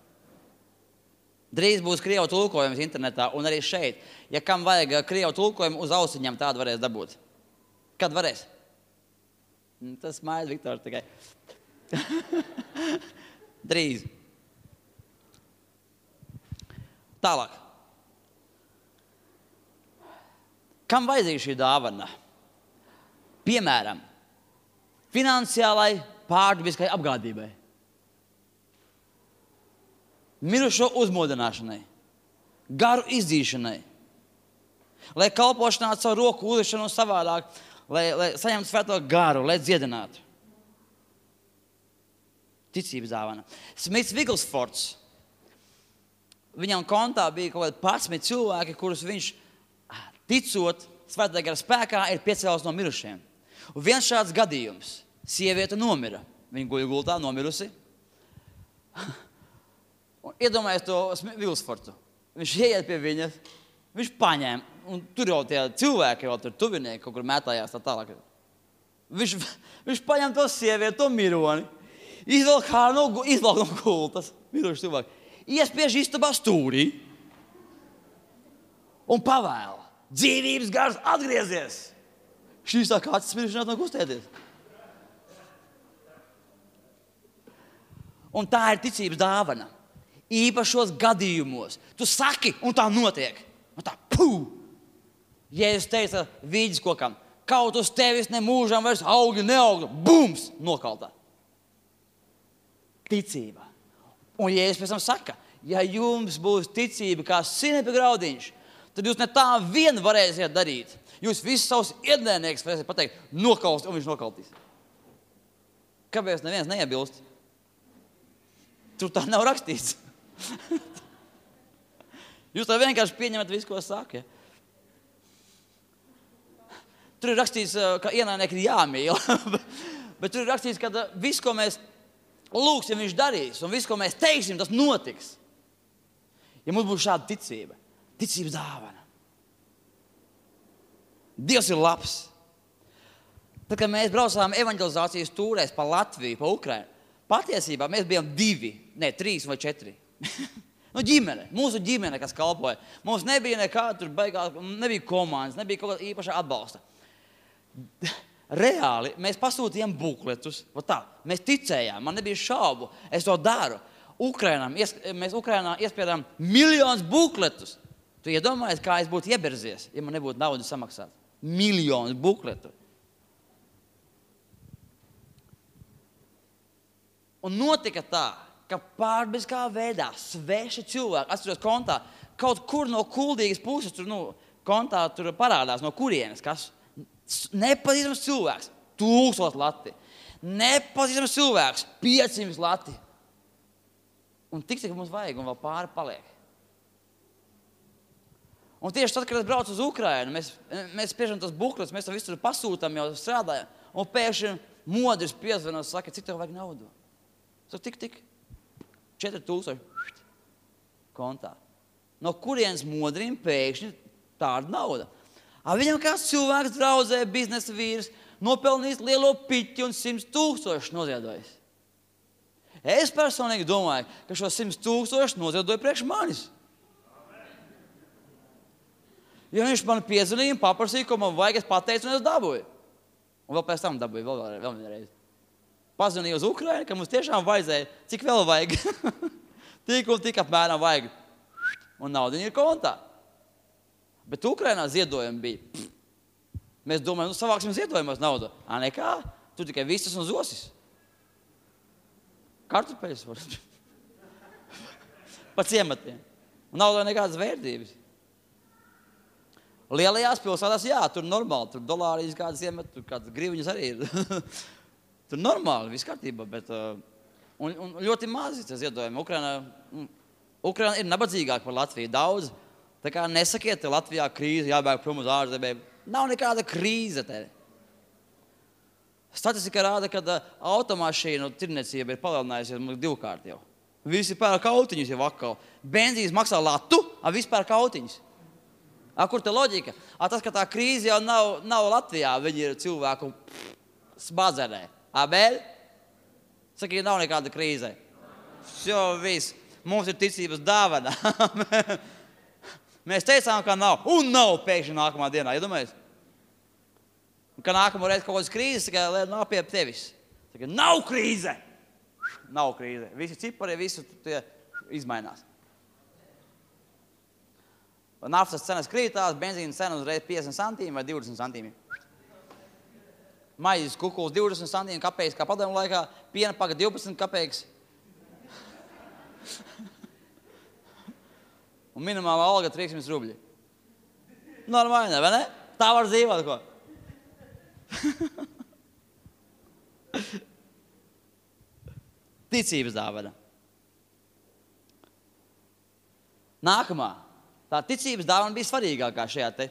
Drīz būs krievu tulkojums internetā un arī šeit. Ja kam vajag krievu tulkojumu, uz ausiņām tādu varēs dabūt. Kad varēs? Tas mājas Viktor tikai. Drīz. Tālāk. Kam vajadzīga šī dāvana? Piemēram, finansiālai pārdabiskai apgādībai. Mirušo uzmodināšanai, garu izdzīšanai, lai kalpošanā savu roku uzlišanu savādāk, lai, lai saņemtu svēto garu, lai dziedinātu. Ticības dāvana. Smits Viglsfords, viņam kontā bija kaut kādi padsmit cilvēki, kurus viņš, ticot svētā gara spēkā, ir piecēlus no mirušiem. Un viens šāds gadījums. Sieviete nomira. Viņa guļ gultā, nomirusi. Un iedomājies to Viglsfordu. Viņš ieiet pie viņas, viņš paņēma, un tur jau tie cilvēki, jau tur tuvinieki, kaut kur mētājās tā tālāk. Viņš, viņš paņem to sievieti, to mironi, izvelk no, izvelk no gultas, miruši cilvēki, iespiež istabā stūrī un pavēl. Dzīvības gars atgriezies. Šīs tā kāds smiršanās nav kustēties. Un tā ir ticības dāvana. Īpašos gadījumos. Tu saki, un tā notiek. Un tā, pū! Jēzus teica vīģis kokam, kaut uz tevis nemūžam vairs augļi neaugļi. Bums! Nokaltā. Ticība. Un Jēzus pēc tam saka, ja jums būs ticība kā sinepi graudiņš, tad jūs ne tā vien varēsiet darīt. Jūs visus savus iedēniekus varēsiet pateikt, nokalst, un viņš nokaltīs. Kāpēc neviens neiebilst? Tur tā nav rakstīts. Jūs tā vienkārši pieņemat visu, ko saka. Ja? Tur ir rakstīts, ka ienaidnieki ir jāmīl. Bet tur ir rakstīts, ka viss, ko mēs lūksim, viņš darīs. Un viss, ko mēs teiksim, tas notiks. Ja mums būs šāda ticība. Ticības dāvana. Dievs ir labs. Tad, kad mēs braucām evanģelizācijas tūrēs pa Latviju, pa Ukrainu, patiesībā mēs bijām divi, ne, trīs vai četri. Nu, ģimene, mūsu ģimene, kas kalpoja. Mums nebija nekāda tur baigā, nebija komandas, nebija kaut kāda īpaša atbalsta. Reāli mēs pasūtījām bukletus. Tā, mēs ticējām, man nebija šaubu, es to daru. Ukrainām, mēs Ukrainā iespiedām miljonus bukletus. Tu iedomājies, kā es būtu ieberzies, ja man nebūtu naudu samaksāt. Miljonus bukletu. Un notika tā, ka pārbiskā veidā sveši cilvēki, atceros kontā, kaut kur no kuldīgas puses tur, nu, kontā tur parādās, no kurienes, kas nepazīstams cilvēks, tūkstot lati. Nepazīstams cilvēks, piecsimt lati. Un tik, cik mums vajag, un vēl pāri paliek. Un tieši tad, kad es braucu uz Ukrainu, mēs, mēs spiežam tos bukletus, mēs to visu pasūtam, jau strādājam, un pēkšņi modris piezvan un saka, cik tev vajag naudu? So, tik, tik, četri tūkstoši kontā. No kurienes modrim pēkšņi tāda nauda? A viņam kāds cilvēks draudzē, biznesa vīrs, nopelnījis lielo piķi un simts tūkstoši noziedojis. Es personīgi domāju, ka šo simts tūkstoši noziedoja priekš manis. Ja viņš man piezvanīja un paprasīja, ko man vajag, es pateicu un es dabūju. Un vēl pēc tam dabūju, vēl, vēl, vēl vienreiz. Pazvanīju uz Ukrainu, ka mums tiešām vajadzēja, cik vēl vajag. Tik un tik apmēram vajag. Un nauda ir kontā. Bet Ukrainā ziedojumi bija. Pff. Mēs domājam, nu savāksim ziedojumos naudu. Ā, nekā, tu tikai vistas un zosis. Kartupeļus var. Pa ciematiem. Un naudā nekādas vērtības. Lielajās pilsētās, jā, tur normāli, tur dolārijas kādas iemet, tur kādas griviņas arī ir. Tur normāli, viss kārtībā, bet uh, un, un ļoti mazi tas ziedojumi. Ukraina, Ukraina ir nabadzīgāka par Latviju daudz. Tā kā nesakiet, te Latvijā krīze, jābēg prom uz ārzemēm. Nav nekāda krīze te. Statistika rāda, ka uh, automašīnu tirniecība ir palielinājusies divkārt jau. Visi pērk autiņus jau atkal. Benzīns maksā latu, a visi pērk autiņus. A, kur te loģika? A, tas, ka tā krīze jau nav, nav Latvijā, viņi ir cilvēku sbazerē. A, bēļ? Saka, ja nav nekāda krīze. Jo, viss. Mums ir ticības dāvana. Mēs teicām, ka nav. Un nav pēkšņi nākamā dienā. Iedomājies? Ka nākamo reizi kaut kādas krīzes, ka nav pie tevis. Saka, nav krīze. Nav krīze. Visi cipari, visi tie izmainās. Naftas cenas krītās, benzīna cena uzreiz piecdesmit santīmi vai divdesmit santīmi. Maizes kukuls divdesmit santīmi kapeiks, kā padomu laikā, piena paga divpadsmit kapeiks. Un minimālā alga trīsdesmit rubļi. Normāli, vai ne? Tā var dzīvot, ko? Ticības dāvana. Nākamā. Tā ticības dāvana bija svarīgākā šajā te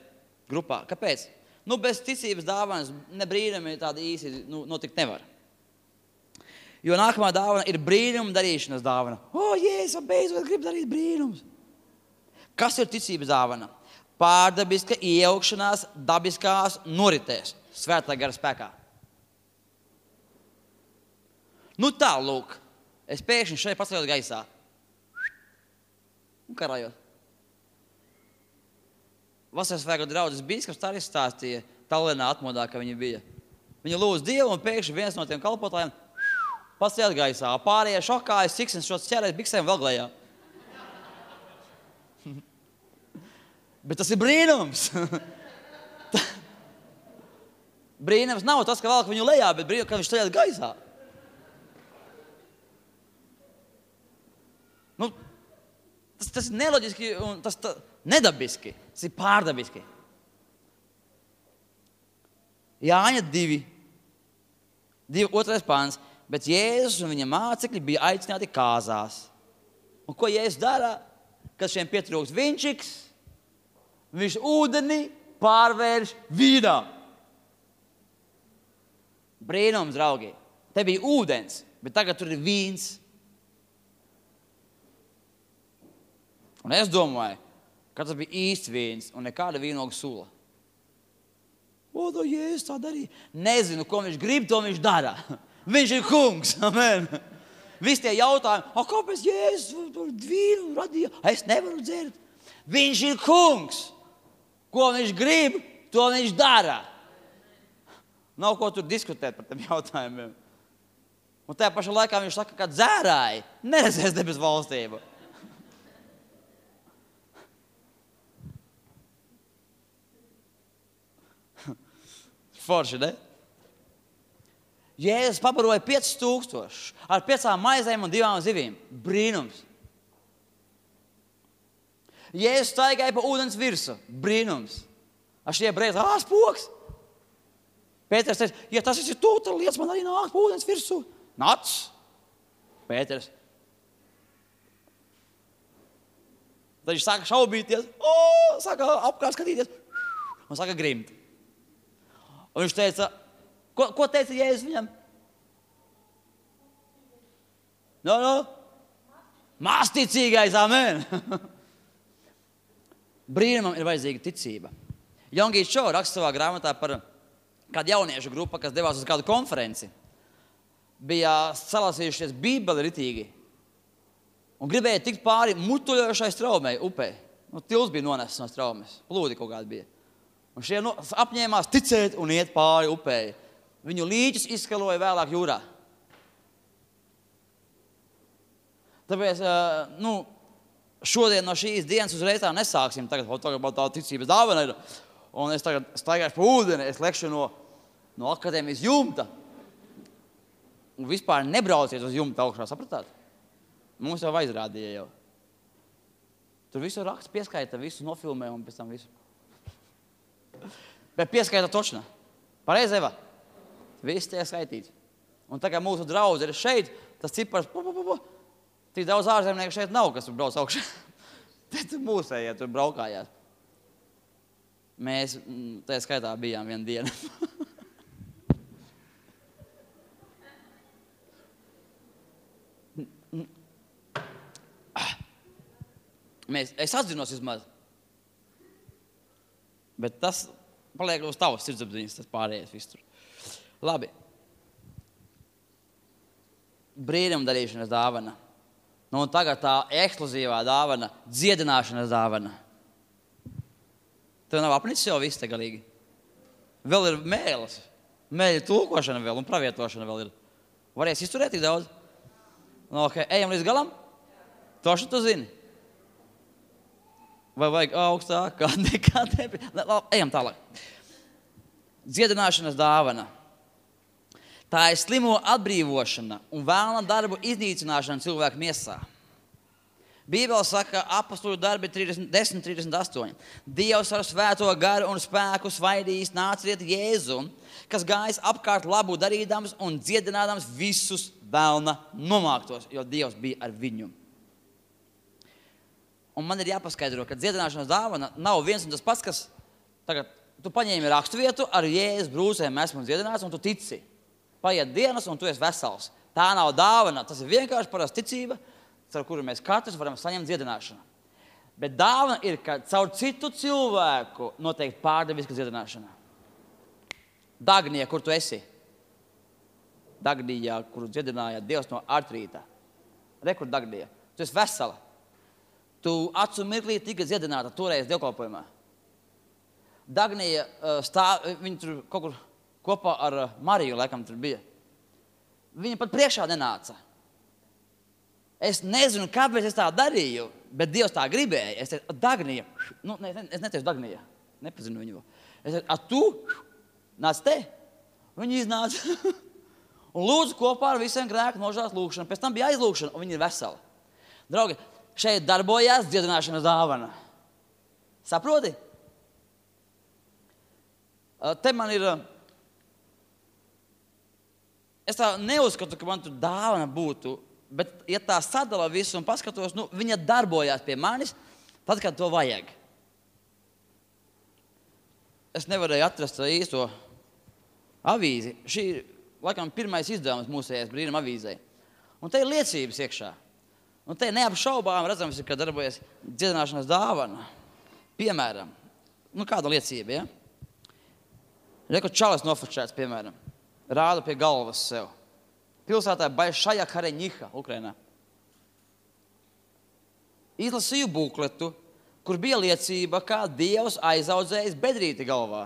grupā. Kāpēc? Nu, bez ticības dāvanas ne brīnumi tādi īsi nu, notikt nevar. Jo nākamā dāvana ir brīnuma darīšanas dāvana. O, Jēzus, beidzot grib darīt brīnums. Kas ir ticības dāvana? Pārdabiska iejaukšanās dabiskās noritēs svētā gara spēkā. Nu tā, lūk, es pēkšņi šeit paceļos gaisā. Un karājot. Vasaras svētku draudzes bīskaps tā arī stāstīja Tallinā atmodā, ka viņi bija. Viņi lūdz Dievu un pēkšņi viens no tiem kalpotājiem Pats iet gaisā. Pārējie šokājas, ciksnes šos ķērēs biksēm vēl glējā. Bet tas ir brīnums. Brīnums nav tas, ka velk viņu lejā, bet brīnums, ka viņš iet gaisā. Nu, tas, tas ir neloģiski un tas tā, nedabiski. Tas ir pārdabiski. Jāņa divi. Divi, otrais pāns. Bet Jēzus un viņa mācekļi bija aicināti kāzās. Un ko Jēzus dara? Kad šiem pietrūks vinčiks, viņš ūdeni pārvērš vīnā. Brīnums, draugi. Te bija ūdens, bet tagad tur ir vīns. Un es domāju, ka tas bija īsts vīns un nekāda vīnoga sula. O, to Jēzus tā darīja. Nezinu, ko viņš grib, to viņš dara. Viņš ir kungs. Amen. Visi tie jautājumi, o, kāpēc Jēzus vīnu radīja? Es nevaru dzert. Viņš ir kungs. Ko viņš grib, to viņš dara. Nav ko tur diskutēt par tiem jautājumiem. Un tajā pašā laikā viņš saka, ka dzērāji neredzēs debes valstību. Forši, ne? Jēzus pabaroja piecus tūkstošus ar piecām maizēm un divām zivīm. Brīnums. Jēzus staigāja pa ūdens virsu. Brīnums. Ar šie brēzi, ā, spoks. Pēters teica, ja tas ir tu, tad liec man arī nākt pa ūdens virsu. Nāc. Pēters. Tad viņš sāka šaubīties, o, sāka apkārt skatīties un sāka grimt. Un viņš teica, ko, ko teica Jēzus viņam? No, no. Māsticīgais, amen. Brīnumam ir vajadzīga ticība. Jongīts Čo raksta savā grāmatā par kādu jauniešu grupu, kas devās uz kādu konferenci. Bija salasījušies bībeli ritīgi un gribēja tikt pāri mutuļojošai straumei upē. Nu, tils bija nonesis no straumes, plūdi kaut kādi bija. Un šie no, apņēmās ticēt un iet pāri upē. Viņu līķis izskaloja vēlāk jūrā. Tāpēc, nu, šodien no šīs dienas uzreiz tā nesāksim. Tagad, tagad tā ticības dāvana ir. Un es tagad staigāšu pa ūdeni, es lekšu no, no akadēmijas jumta. Un vispār nebrauciet uz jumta augšā, sapratāt? Mums jau aizrādīja jau. Tur visu raksts pieskaita, visu nofilmē un pēc tam visu. Bet pieskaita točna. Pareizi, Eva? Viss tiek skaitīts. Un tā kā mūsu draudze ir šeit, tas cipars, pu, pu, pu, pu. Tik daudz ārzemnieku šeit nav, kas tur brauc augšā. Tad mūsējie tur braukājās. Mēs tajā skaitā bijām vienu dienu. Mēs, es atzinos vismaz. Bet tas paliek uz tavas sirdsapziņas, tas pārējais viss tur. Labi. Brīnuma darīšanas dāvana. Nu, un tagad tā ekskluzīvā dāvana, dziedināšanas dāvana. Tev nav apnicis jau viss te galīgi. Vēl ir mēles. Mēļa tulkošana vēl un pravietošana vēl ir. Varēs izturēt tik daudz? Nu, ok, ejam līdz galam? Toši tu zini? Vai vajag augstāk? Kā nekā tevi? Ejam tālāk. Dziedināšanas dāvana. Tā ir slimo atbrīvošana un vēlna darbu iznīcināšana cilvēku miesā. Bībele saka, apostulu darbi desmit trīsdesmit astoņi. Dievs ar svēto garu un spēku svaidījis nāciet Jēzu, kas gājis apkārt labu darīdams un dziedinādams visus vēlna nomāktos, jo Dievs bija ar viņu. Un man ir jāpaskaidro, ka dziedināšanas dāvana nav viens un tas pats, kas tagad tu paņēmi raksturvietu ar Jēzus brūcēm esmu dziedināts un tu tici. Paiet dienas un tu esi vesels. Tā nav dāvana, tas ir vienkārši parasta ticība, caur kuru mēs katrs varam saņemt dziedināšanu. Bet dāvana ir, ka caur citu cilvēku noteikti pārdeviska dziedināšana. Dagnija, kur tu esi? Dagnijā, kuru dziedināja Dievs no artrīta. Re, kur Dagnija? Tu esi vesela. Tu acu mirklī tika dziedināta toreiz dievkalpojumā. Dagnija stāv, viņa tur kaut kur kopā ar Mariju, laikam tur bija. viņa pat priekšā nenāca. Es nezinu, kāpēc es tā darīju, bet Dievs tā gribēja. Es teicu, Dagnija, nu, ne, es neteicu Dagnija, nepazinu viņu. Es teicu, a tu nāc te? Viņa iznāca un lūdzu kopā ar visiem grēku nožēlas lūgšanu. Pēc tam bija aizlūgšana, un viņa ir vesela. Draugi, šeit darbojās dziedināšanas dāvana. Saproti? Te man ir... Es tā neuzskatu, ka man tur dāvana būtu, bet, ja tā sadala visu un paskatos, nu, viņa darbojās pie manis, tad, kad to vajag. Es nevarēju atrast īsto avīzi. Šī ir, laikam, pirmais izdevums mūsējais brīnuma avīzē. Un te ir liecības iekšā. Un te neapšaubām redzams, ka darbojas dziedināšanas dāvana. Piemēram, nu, kāda liecība, ja? Reku čalis nofočēts, piemēram. Rāda pie galvas sev. Pilsētā Baišaja Kareņiha, Ukrainā. Izlasīju bukletu, kur bija liecība, kā Dievs aizaudzējis bedrīti galvā.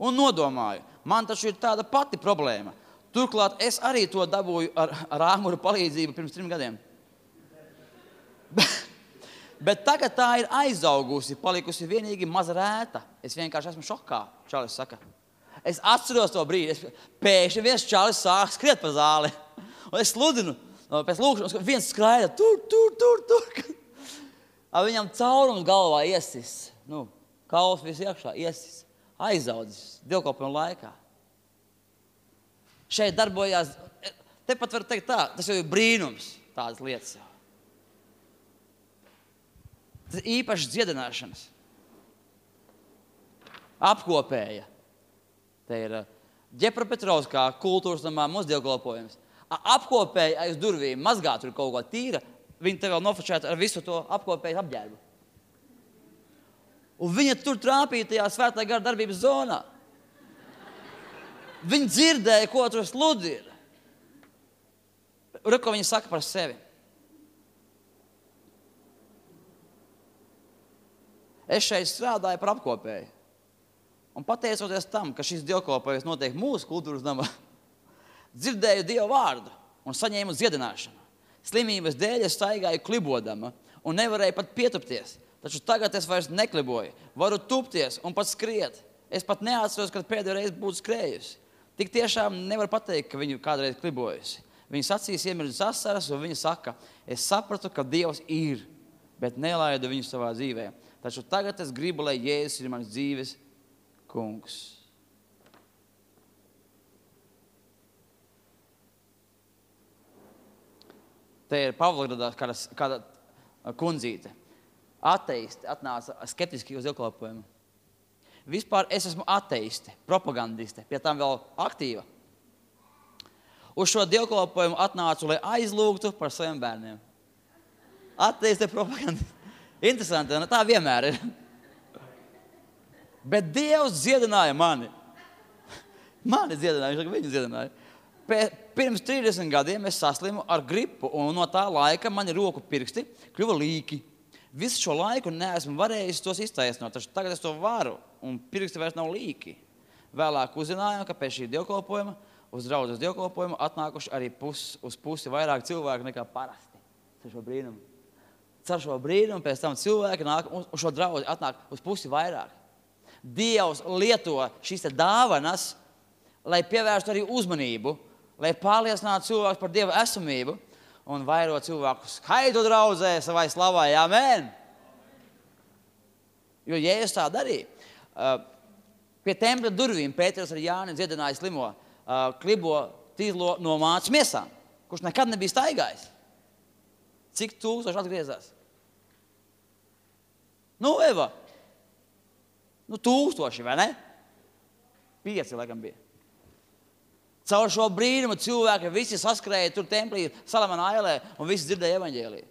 Un nodomāju, man taču ir tāda pati problēma. Turklāt es arī to dabūju ar, ar āmuru palīdzību pirms trim gadiem. Bet tagad tā ir aizaugusi, palikusi vienīgi maza rēta. Es vienkārši esmu šokā, čalis saka. Es atceros to brīdi. Es, pēkšņi viens čalis sāk skriet pa zāli. Un es sludinu pēc lūkšanas, viens skraida tur, tur, tur, tur. Viņam caurums galvā iesis. Nu, kauls viss iekšā iesis. Aizaudzis dievkalpojuma laikā. Šeit darbojās, tepat var teikt tā, tas jau ir brīnums, tādas lietas jau. Tas ir īpaši dziedināšanas. Apkopēja. Te ir Ģepra-Petrovskā kultūras namā mūsu dievkalpojums. Apkopēja aiz durvīm, mazgā tur kaut ko tīra, viņi te vēl nofočēta ar visu to apkopēju apģērbu. Un viņa tur trāpīja tajā svētā gara darbības zonā. Viņa dzirdēja, ko tur sludina. Re, ko viņa saka par sevi. Es šeit strādāju par apkopēju. Un pateicoties tam, ka šis dievkalpojums notiek mūsu kultūras namā, dzirdēju Dievu vārdu un saņēmu dziedināšanu. Slimības dēļ es staigāju klibodama un nevarēju pat pietupties. Taču tagad es vairs nekliboju. Varu tupties un pat skriet. Es pat neatceros, kad pēdējo reizi būtu skrējusi. Tik tiešām nevar pateikt, ka viņu kādreiz klibojusi. Viņas acīs iemirdzas asaras un viņa saka, es sapratu, ka Dievs ir, bet nelaidu viņu savā dzīvē. Taču tagad es gribu, lai Jēzus ir mans dzīves kungs. Te ir Pavlogradā kāda, kāda kundzīte. Ateisti atnāca skeptiski uz dievkalpojumu. Vispār es esmu ateiste, propagandiste, pie tam vēl aktīva. Uz šo dievkalpojumu atnācu, lai aizlūgtu par saviem bērniem. Ateiste, propagandiste. Interesanti, tā vienmēr ir. Bet Dievs dziedināja mani. Mani dziedināja, viņu dziedināja. Pirms trīsdesmit gadiem es saslimu ar gripu, un no tā laika mani roku pirksti kļuva līki. Visu šo laiku neesmu varējis tos iztaisnot, taču tagad es to varu, un pirksti vairs nav līki. Vēlāk uzzinājām, ka pēc šī dievkalpojuma, uz draudzes dievkalpojuma atnākuši arī pus, uz pusi vairāk cilvēku nekā parasti. Cer šo brīnumu. Cer šo brīnumu, pēc tam cilvēki nāk, un šo draudzi atnāk uz pusi vairāk. Dievs lieto šīs dāvanas, lai pievērstu arī uzmanību, lai pārliecinātu cilvēkus par Dieva esamību un vairo cilvēku skaitu draudzē savai slavai. Amen! Jo Jēzus tā darīja. Pie tempļa durvīm Pēters ar Jāni dziedināja slimo, klibo tīzlo no mācas miesām, kurš nekad nebija staigājis. Cik tūkstoši atgriezās? Nu, Eva, nu tūkstoši, vai ne? Pieci, laikam, bija. Caur šo brīnumu cilvēki visi saskrēja tur templī Salamana ailē un visi dzirdēja evaņģēliju.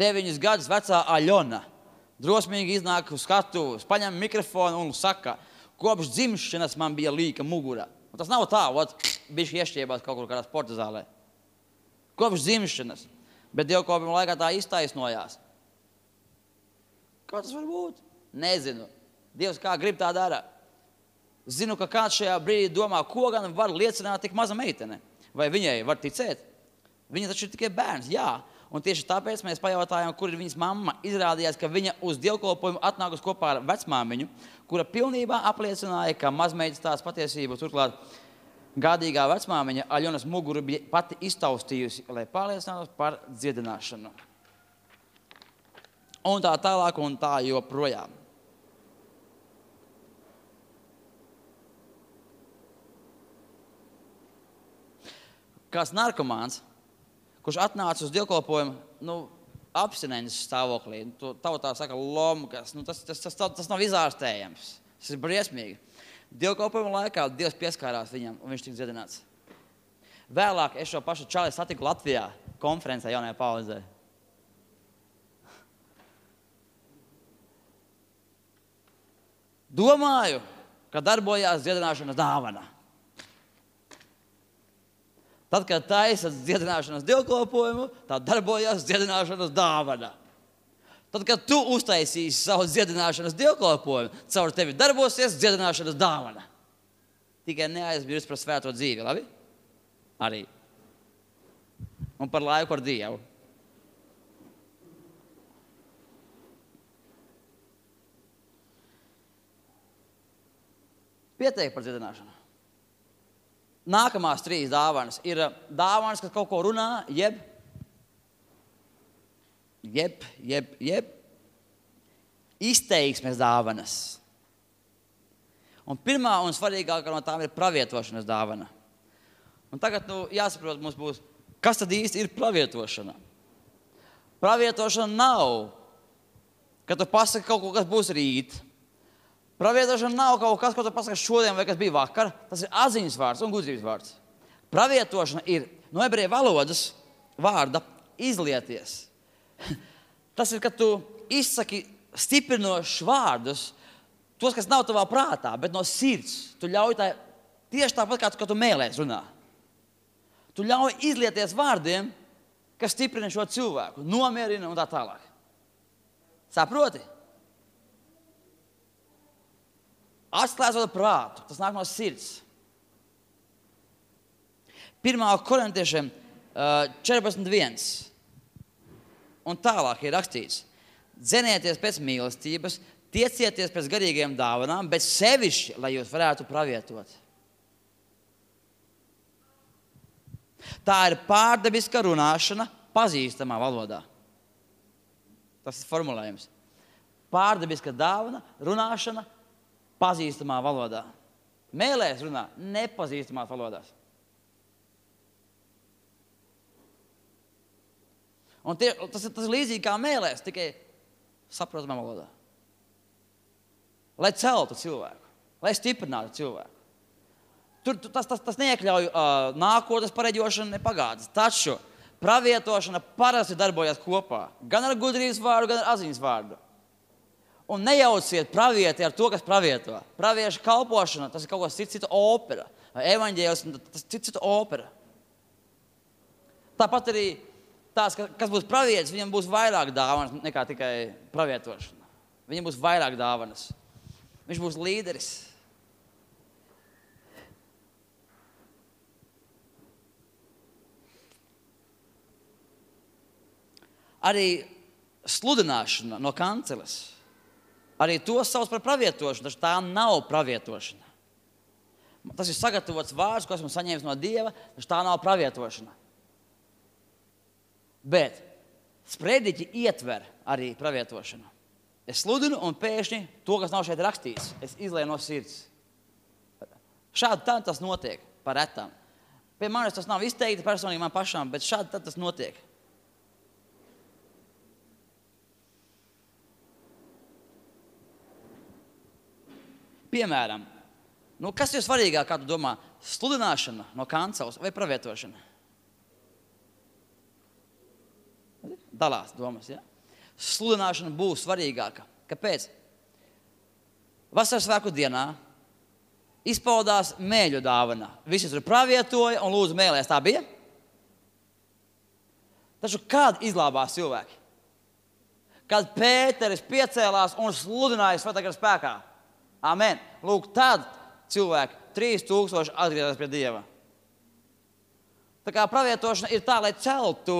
Deviņus gadus vecā Aļona drosmīgi iznāk uz skatuves, paņem mikrofonu un saka, kopš dzimšanas man bija līka mugura. Un tas nav tā, ot, bišķi iešķiebās kaut kur kādā sporta zālē. Kopš dzimšanas. Bet dievkalpojuma laikā tā iztaisnojās. Kā tas var būt? Nezinu. Dievs kā grib tā dara. Zinu, ka kāds šajā brīdī domā, ko gan var liecināt tik maza meitene. Vai viņai var ticēt? Viņa taču ir tikai bērns, jā. Un tieši tāpēc mēs pajautājām, kur ir viņas mamma. Izrādījās, ka viņa uz dievkalpojumu atnākus kopā ar vecmāmiņu, kura pilnībā apliecināja, ka mazmeitas tās patiesību. Turklāt gādīgā vecmāmiņa Aļonas muguru bija pati iztaustījusi, lai pārliecinātos par dziedināšanu. Un tā tālāk un tā joprojām. Kāds narkomāns, kurš atnāca uz dievkalpojumu, nu, abstinences stāvoklī, nu, tautā saka lomkas, nu, tas, tas, tas, tas nav izārstējams, tas ir briesmīgi. Dievkalpojuma laikā Dievs pieskārās viņam, un viņš tika dziedināts. Vēlāk es šo pašu čali satiku Latvijā konferencē jaunajā paudzē. Domāju, ka darbojās dziedināšanas dāvana. Tad, kad taisat dziedināšanas dievkalpojumu, tā darbojās dziedināšanas dāvana. Tad, kad tu uztaisīsi savu dziedināšanas dievkalpojumu, caur tevi darbosies dziedināšanas dāvana. Tikai neaizmirst par svēto dzīvi, labi? Arī. Un par laiku ar Dievu. Pietiek par dziedināšanu. Nākamās trīs dāvanas ir dāvanas, kas kaut ko runā, jeb, jeb, jeb, jeb, izteiksmes dāvanas. Un pirmā un svarīgākā no tām ir pravietošanas dāvana. Un tagad, nu, jāsaprot mums būs, kas tad īsti ir pravietošana? Pravietošana nav, ka tu pasaki kaut ko, kas būs rīt. Pravietošana nav kaut kas, ko tu pasaki šodien vai kas bija vakar. Tas ir atziņas vārds un gudrības vārds. Pravietošana ir no ebreju valodas vārda izlieties. Tas ir, kad tu izsaki stiprinošus vārdus, tos, kas nav tavā prātā, bet no sirds. Tu ļauj tā, tieši tāpat, kā tu, tu mēlēs runā. Tu ļauj izlieties vārdiem, kas stiprina šo cilvēku, nomierina un tā tālāk. Saproti? Atslēdzot prātu, tas nāk no sirds. Pirmā korintiešiem četrpadsmit viens. Un tālāk ir rakstīts. Dzenieties pēc mīlestības, tiecieties pēc garīgiem dāvanām, bet sevišķi, lai jūs varētu pravietot. Tā ir pārdabiska runāšana pazīstamā valodā. Tas ir formulējums. Pārdabiska dāvana, runāšana pazīstamā valodā. Mēlēs runā nepazīstamās valodās. Un tie, tas, tas ir līdzīgi kā mēlēs, tikai saprotamā valodā. Lai celtu cilvēku, lai stiprinātu cilvēku. Tur tas, tas, tas neiekļauj uh, nākotnes pareģošanu, ne pagātnes. Taču pravietošana parasti darbojas kopā. Gan ar gudrības vārdu, gan ar atziņas vārdu. Un nejauciet pravieti ar to, kas pravieto. Pravieša kalpošana, tas ir kaut kas cits, cita opera. Evaņģēlis, tas cits, cita opera. Tāpat arī tās, kas būs pravietis, viņam būs vairāk dāvanas nekā tikai pravietošana. Viņam būs vairāk dāvanas. Viņš būs līderis. Arī sludināšana no kanceles. Arī to sauc par pravietošanu, taču tā nav pravietošana. Tas ir sagatavots vārds, ko esmu saņēmis no Dieva, taču tā nav pravietošana. Bet sprediķi ietver arī pravietošanu. Es sludinu un pēkšņi to, kas nav šeit rakstīts, es izlēju no sirds. Šādi tā tas notiek par retām. Pie manis tas nav izteikti personīgi man pašām, bet šādi tā tas notiek. Piemēram, nu, kas ir svarīgāk, kā tu domā, sludināšana no kanceles vai pravietošana? Dalās domas, ja? Sludināšana būs svarīgāka. Kāpēc? Vasaras svētku dienā izpaudās mēļu dāvana. Visi tur pravietoja un lūdzu mēlēs. Tā bija? Taču kādi izglābās cilvēki? kad Pēteris piecēlās un sludināja Svētā gara spēkā. Amen. Lūk, tad cilvēki trīs tūkstoši atgriezās pie Dieva. Tā kā pravietošana ir tā, lai celtu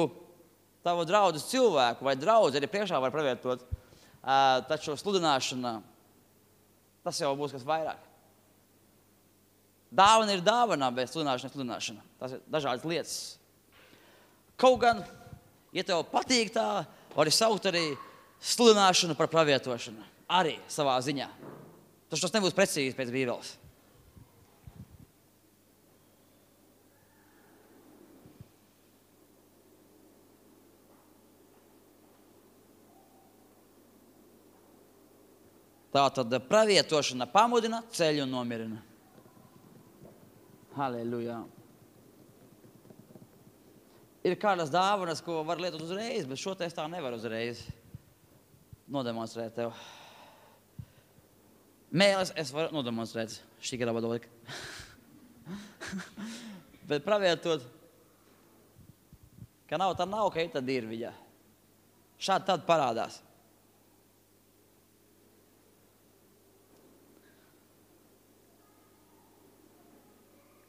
tavu draudzes cilvēku vai draudzi, arī priekšā var pravietot, uh, taču sludināšana, tas jau būs kas vairāk. Dāvana ir dāvana, bet sludināšana ir sludināšana. Tas ir dažādas lietas. Kaut gan, ja tev patīk tā, vari saukt arī sludināšanu par pravietošanu. Arī savā ziņā. Taču tas nebūs precīzi pēc Bībeles. Tātad pravietošana pamudina, ceļ un nomierina. Halleluja. Ir kādas dāvanas, ko var lietot uzreiz, bet šo te es tā nevaru uzreiz nodemonstrēt tev. Mēles es varu nodemonstrēt. Šī garā vadolika. Bet pravietot, ka nav, tā nav, ka ir tad ir viņa. Šādi tad parādās.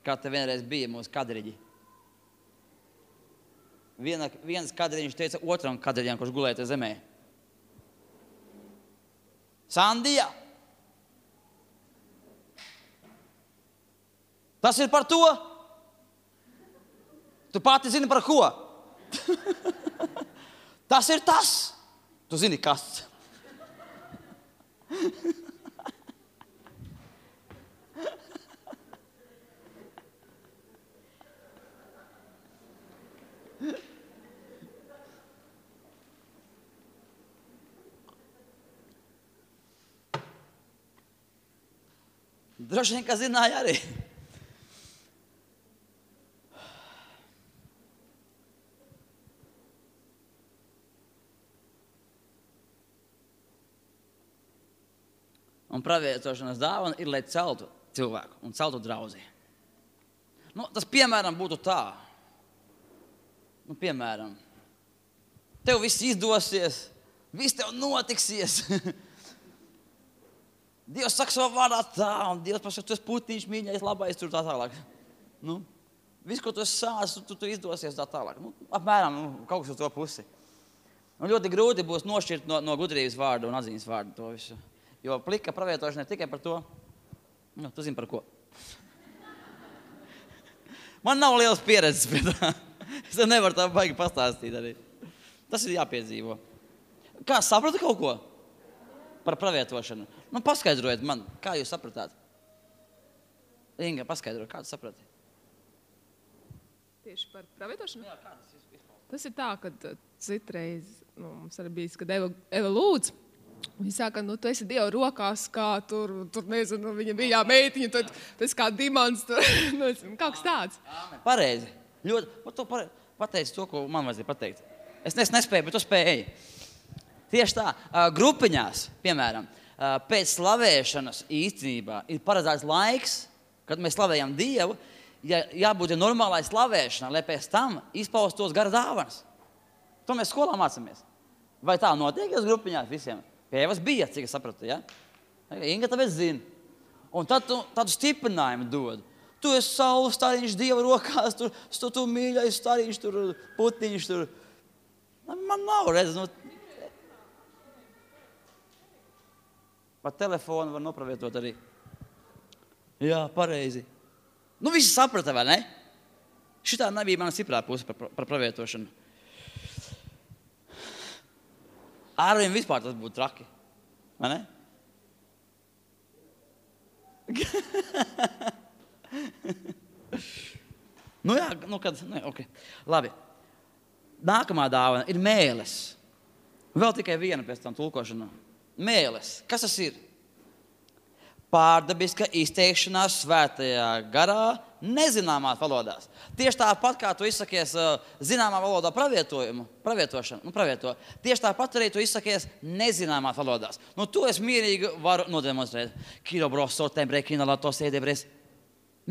Kā te vienreiz bija mūsu kadriģi. Viena, viens kadriņš teica otram kadriņam, kurš gulēja te zemē. Sandija! Tas ir par to? Tu pati zini par ko? Tas ir tas. Tu zini, kas. Droši vien, ka zināja arī. Un pravietošanas dāvana ir, lai celtu cilvēku un celtu draudzi. Nu, tas, piemēram, būtu tā. Nu, piemēram, tev viss izdosies, viss tev notiksies. Dievs saka savā vārdā tā, un Dievs pasaka, tu esi putiņš, mīļais, labais, tur tā tālāk. Nu, viss, ko tu esi sācis, tu, tu izdosies tā tālāk. Nu, apmēram, nu, kaut kas uz to pusi. Un ļoti grūti būs nošķirt no, no gudrības vārdu un atziņas vārdu to visu. Jo plika pravietošana ir tikai par to, nu, tu zini par ko. Man nav liels pieredzes pie tā. Es nevaru tā baigi pastāstīt arī. Tas ir jāpiedzīvo. Kā, sapratu kaut ko? Par pravietošanu. Nu, paskaidrojiet man, kā jūs sapratāt? Inga, paskaidro, kā tu saprati? Tieši par pravietošanu? Jā, kā tas izpaužas? Tas ir tā, kad citreiz, nu, mums arī bijis, kad Eva, Eva lūdz, viņa saka, nu, tu esi Dieva rokās, kā tur, tur nezinu, viņa bija meitiņa, tad tas kā dimants, tur, nu, kaut kas tāds. Āmen. Pareizi. Ļoti, pat to pare, pateici to, ko man vajadzēja pateikt. Es nes, nespēju, bet tu spēji. Tieši tā, grupiņās, piemēram, pēc slavēšanas īstenībā ir paredzēts laiks, kad mēs slavējam Dievu, ja, jābūt normālai slavēšanai, lai pēc tam izpaustos gara dāvanas. To mēs skolā mācāmies. Vai tā notiek uz grupiņās visiem? Pie Evas bija, cik es sapratu, ja? Inga tāpēc zina. Un tad tu tādu stiprinājumu dod. Tu esi saules stariņš Dieva rokās, tur, tu, tu mīļais stariņš, tur putiņš, tur. Man nav redz, nu. Pat telefonu var nopravietot arī. Jā, pareizi. Nu, visi saprata, vai ne? Šitā nebija mana stiprā puse par, par pravietošanu. Ārvien vispār tas būtu traki. Vai ne? nu jā, nu kad, nu, ok. Labi. Nākamā dāvana ir mēles. Vēl tikai viena pēc tam tulkošana. Mēles. Kas tas ir? Pārdabiska izteikšanās svētajā garā nezināmās valodās. Tieši tāpat, kā tu izsakies zināmā valodā pravietojumu, pravietošanu, nu pravieto, tieši tāpat arī tu izsakies nezināmās valodās. Nu, to es mierīgi varu nodemonstrēt. Kiro bros, sotembre, kino lato sēdebres.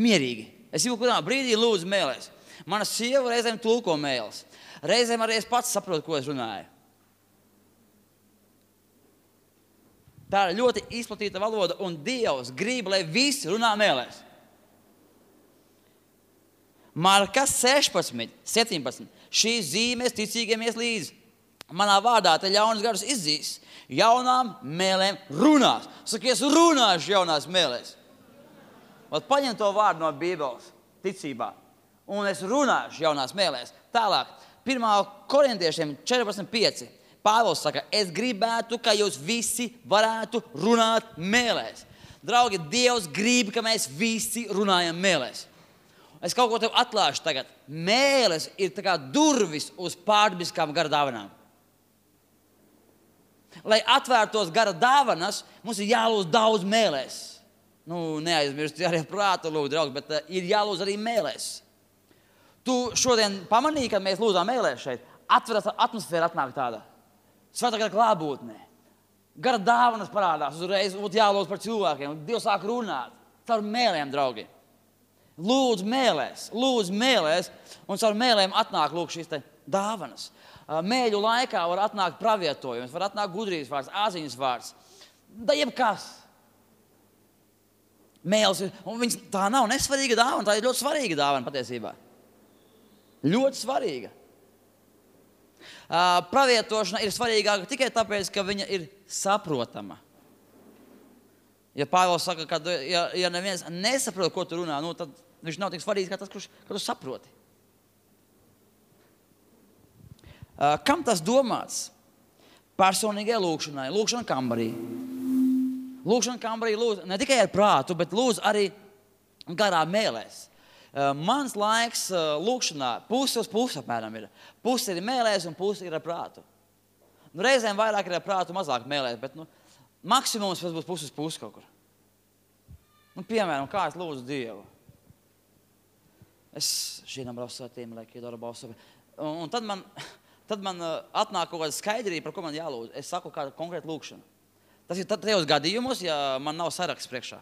Mierīgi. Es jau kurā brīdī lūdzu mēlēs. Mana sieva reizēm tulko mēles. Reizēm arī es pats saprotu, ko es runāju. Tā ir ļoti izplatīta valoda, un Dievs grib, lai visi runā mēlēs. Marka sešpadsmit, septiņpadsmit. Šīs zīmēs ticīgiem ies līdzi. Manā vārdā te ļaunas garus izzīs. Jaunām mēlēm runās. Saka, es runāšu jaunās mēlēs. Vat paņem to vārdu no Bībeles, ticībā. Un es runāšu jaunās mēlēs. Tālāk, pirmā korintiešiem četrpadsmit pieci. Pāvils saka, es gribētu, ka jūs visi varētu runāt mēlēs. Draugi, Dievs grib, ka mēs visi runājam mēlēs. Es kaut ko tev atklāšu tagad. Mēles ir tā kā durvis uz pārdabiskām gara dāvanām. Lai atvērtos gara dāvanas, mums ir jālūdz daudz mēlēs. Nu, neaizmirst arī prātu lūdzu, draugi, bet uh, ir jālūdz arī mēlēs. Tu šodien pamanīji, kad mēs lūdzām mēlēs šeit, atveras atmosfēra atnāk tāda. Svētā gara klātbūtnē. Gara dāvanas parādās, uzreiz būtu jālūdz par cilvēkiem. Dievs sāk runāt. Caur mēlēm, draugi. Lūdzu mēlēs, lūdzu mēlēs, un caur mēlēm atnāk lūk šīs te dāvanas. Mēļu laikā var atnākt pravietojums, var atnākt gudrības vārds, āziņas vārds. Da jebkas. Mēles ir, un viņas, tā nav nesvarīga dāvana, tā ir ļoti svarīga dāvana patiesībā. Ļoti svarīga. Uh, pravietošana ir svarīgāka tikai tāpēc, ka viņa ir saprotama. Ja Pāvils saka, ka ja, ja neviens nesaprot, ko tu runā, nu, tad viņš nav tik svarīgs, kā tas, kurš, ka tu saproti. Uh, kam tas domāts? Personīgai lūkšanai, lūkšana kambarī. Lūkšana kambarī lūdz ne tikai ar prātu, bet lūdz arī garā mēlēs. Uh, mans laiks uh, lūkšanā pusi uz pusi apmēram ir. Pusi ir mēlēs un pusi ir ar prātu. Nu, reizēm vairāk ir ar prātu, mazāk mēlēs, bet nu, maksimums būs pusi uz pusi kaut kur. Nu, piemēram, kā es lūdzu Dievu. Es šīnam brausatīm, lai kiedora balsovi. Un, un tad man, tad man uh, atnāk kaut kāda skaidrība, par ko man jālūdz. Es saku kādu konkrētu lūkšanu. Tas ir tajos gadījumos, ja man nav saraksts priekšā.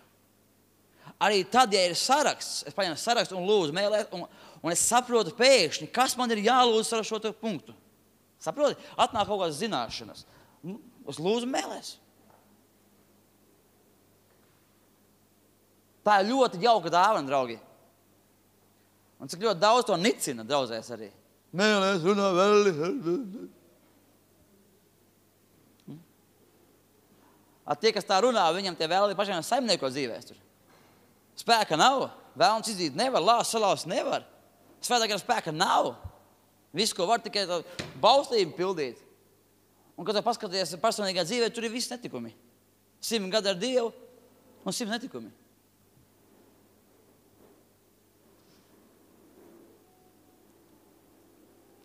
Arī tad, ja ir saraksts, es paņemu sarakstu un lūdzu mēlēt, un, un es saprotu pēkšņi, kas man ir jālūdz ar šo punktu. Saproti? Atnāk kaut kādas zināšanas. Es lūdzu mēlēs. Tā ir ļoti jauka dāvana, draugi. Un cik ļoti daudz to nicina draudzēs arī. Mēlēs runā vēl. A tie, kas tā runā, viņam tie vēl ir pašiem saimnieko dzīvēs tur. Spēka nav. Vēlns izdīt nevar, lās salās nevar. Svētā gara spēka nav. Viss, ko var tikai baustību pildīt. Un, kad tu paskaties personīgā dzīvē, tur ir viss netikumi. Simt gadi ar Dievu un simt netikumi.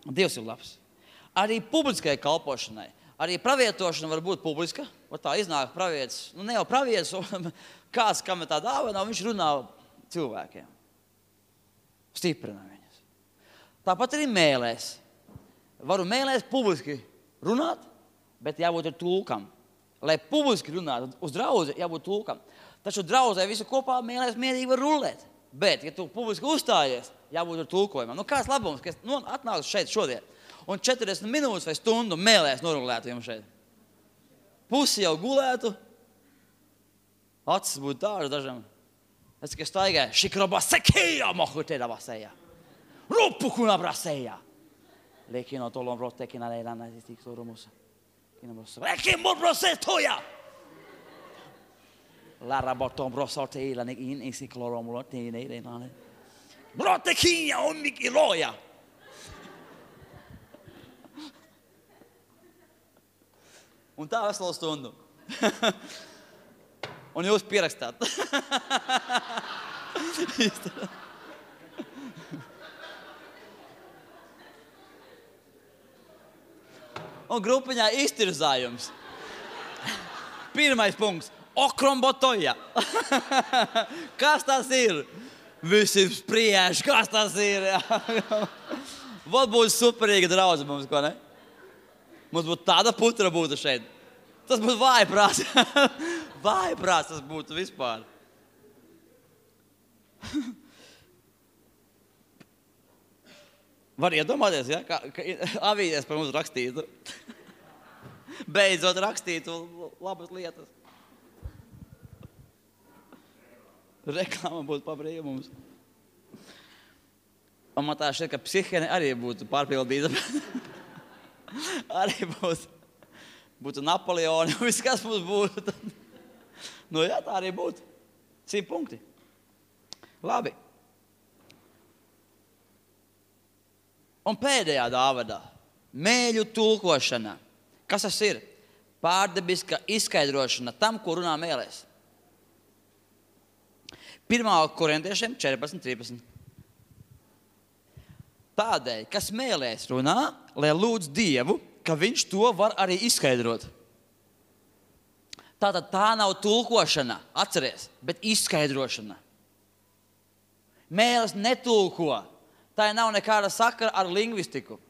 Dievs ir labs. Arī publiskai kalpošanai. Arī pravietošana var būt publiska. Var tā iznāk pravietis. Nu, ne jau pravietis, kāds, kam ir tā dāvana, viņš runā cilvēkiem. Stiprina viņus. Tāpat arī mēlēs. Varu mēlēs publiski runāt, bet jābūt ar tulkam. Lai publiski runātu uz draudzi, jābūt tulkam. Taču draudzē visu kopā mēlēs mierīgi var rulēt. Bet, ja tu publiski uzstājies, jābūt ar tulkojumam. Nu, kāds labums, ka es nu, atnācu šeit šodien un četrdesmit minūtes vai stundu mēlēs norulētu jums šeit. Pusi jau gulētu, acis būtu tādas dažam. Es tikai staigāju, šikrabasekejā mahutēda vasējā. Rupukuna brasējā. Lekino tolon rotekina leilana zistik sorumusa. Lekimo brosetoja! Lara bortom brosoteila nek in isikloromulo teine ilene. Brotekinja ommik iloja. Un tā veselu stundu. Un jūs pierakstāt. Un grupiņā iztirzājums. Pirmais punkts. Okrombotoja. Kas tas ir? Visi spriež, kas tas ir? Vat būtu superīga draudze mums, ko ne? Mums būtu tāda putra būtu šeit. Tas būtu vājprāts. Vājprāts tas būtu vispār. Var iedomāties, ja? Kā, ka avīzēs par mums rakstītu. Beidzot rakstītu labas lietas. Reklāma būtu pa brīvu mums. Un man tā šķiet, ka psihiene arī būtu pārpildīta. Arī būtu, būtu Napoleoni, un viss, kas mums būtu. Nu jā, tā arī būtu. Simt punkti. Labi. Un pēdējā dāvadā. Mēļu tulkošana. Kas tas ir? Pārdabiska izskaidrošana tam, ko runā mēlēs. Pirmā korintiešiem četrpadsmit trīspadsmit. Tādēļ, kas mēlēs runā, lai lūdz Dievu, ka viņš to var arī izskaidrot. Tātad tā nav tulkošana, atceries, bet izskaidrošana. Mēlis netulko. Tā nav nekāda sakara ar lingvistiku.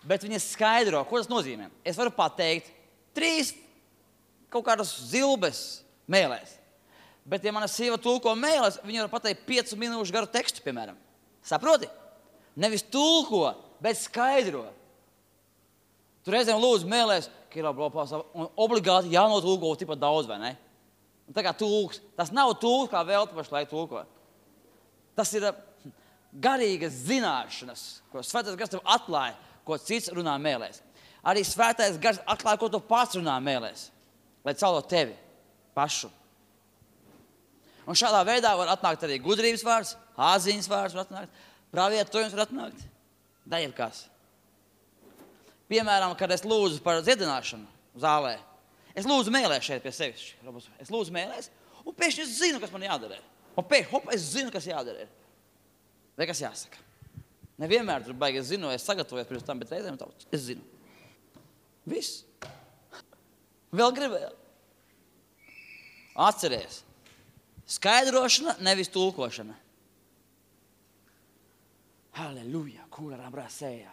Bet viņa skaidro, ko tas nozīmē. Es varu pateikt trīs kaut kādas zilbes mēlēs. Bet, ja mana sieva tulko mēlēs, viņa var pateikt piecu minūšu garu tekstu, piemēram. Saproti? Nevis tulko, bet skaidro. Tu reizēm lūdzu mēlēs, un obligāti jānotulko tipat daudz, vai ne? Un tā kā tulks. Tas nav tulks, kā vēl pašlaik tulko. Tas ir garīgas zināšanas, ko svētais gars tev atklāja, ko cits runā mēlēs. Arī svētais gars atklāja, ko tu pats runā mēlēs, lai caulo tevi pašu. Un šādā veidā var atnākt arī gudrības vārds, āzīmes vārds var atnākt, pravietojums var atnākt, da jebkas. Piemēram, kad es lūdzu par dziedināšanu zālē, es lūdzu mēlēs šeit pie sevis. Es lūdzu mēlēs, un pēkšņi es zinu, kas man jādara. Un pēkšņi, hop, es zinu, kas jādara. Vai kas jāsaka? Nevienmēr tur baigi es zinu, es sagatavojos pirms tam, bet reizēm tā, es zinu. Viss. Vēl gribēju. Atceries. Skaidrošana, nevis tulkošana. Halleluja, kura rabrasēja.